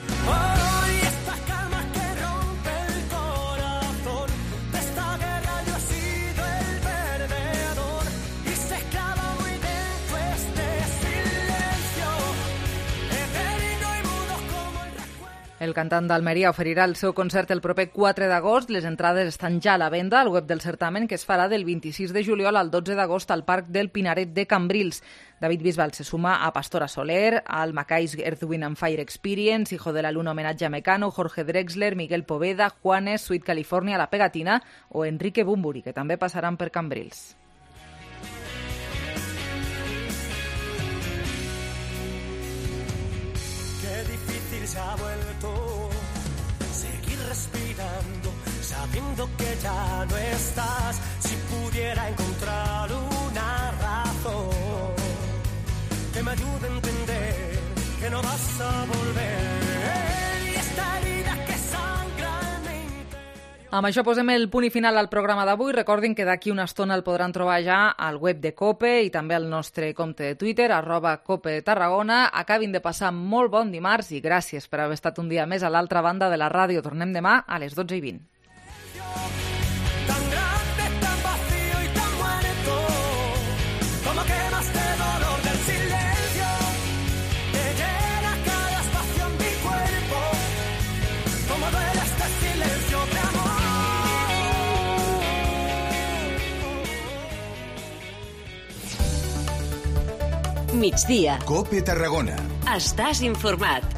El cantant d'Almeria oferirà el seu concert el proper quatre d'agost. Les entrades estan ja a la venda al web del certamen, que es farà del vint-i-sis de juliol al dotze d'agost al Parc del Pinaret de Cambrils. David Bisbal se suma a Pastora Soler, al Maccays Earth, Wind and Fire Experience, Hijo de la Luna homenatge a Mecano, Jorge Drexler, Miguel Poveda, Juanes, Sweet California, La Pegatina o Enrique Bumburi, que també passaran per Cambrils. Qué difícil se ha vuelto seguir respirando, sabiendo que ya no estás. Si pudiera encontrar una razón que me ayude a entender que no vas a volver y esta herida que sangra en mi interior. Amb això posem el punt i final al programa d'avui. Recordin que d'aquí una estona el podran trobar ja al web de COPE i també al nostre compte de Twitter, arroba COPE Tarragona. Acabin de passar molt bon dimarts i gràcies per haver estat un dia més a l'altra banda de la ràdio. Tornem demà a les dotze i vint. Tan grande, tan vacío y tan muerto, como quemas de dolor del silencio, que llena cada espacio en mi cuerpo, como duele este silencio de amor. Migdia. COPE Tarragona. Estàs informat.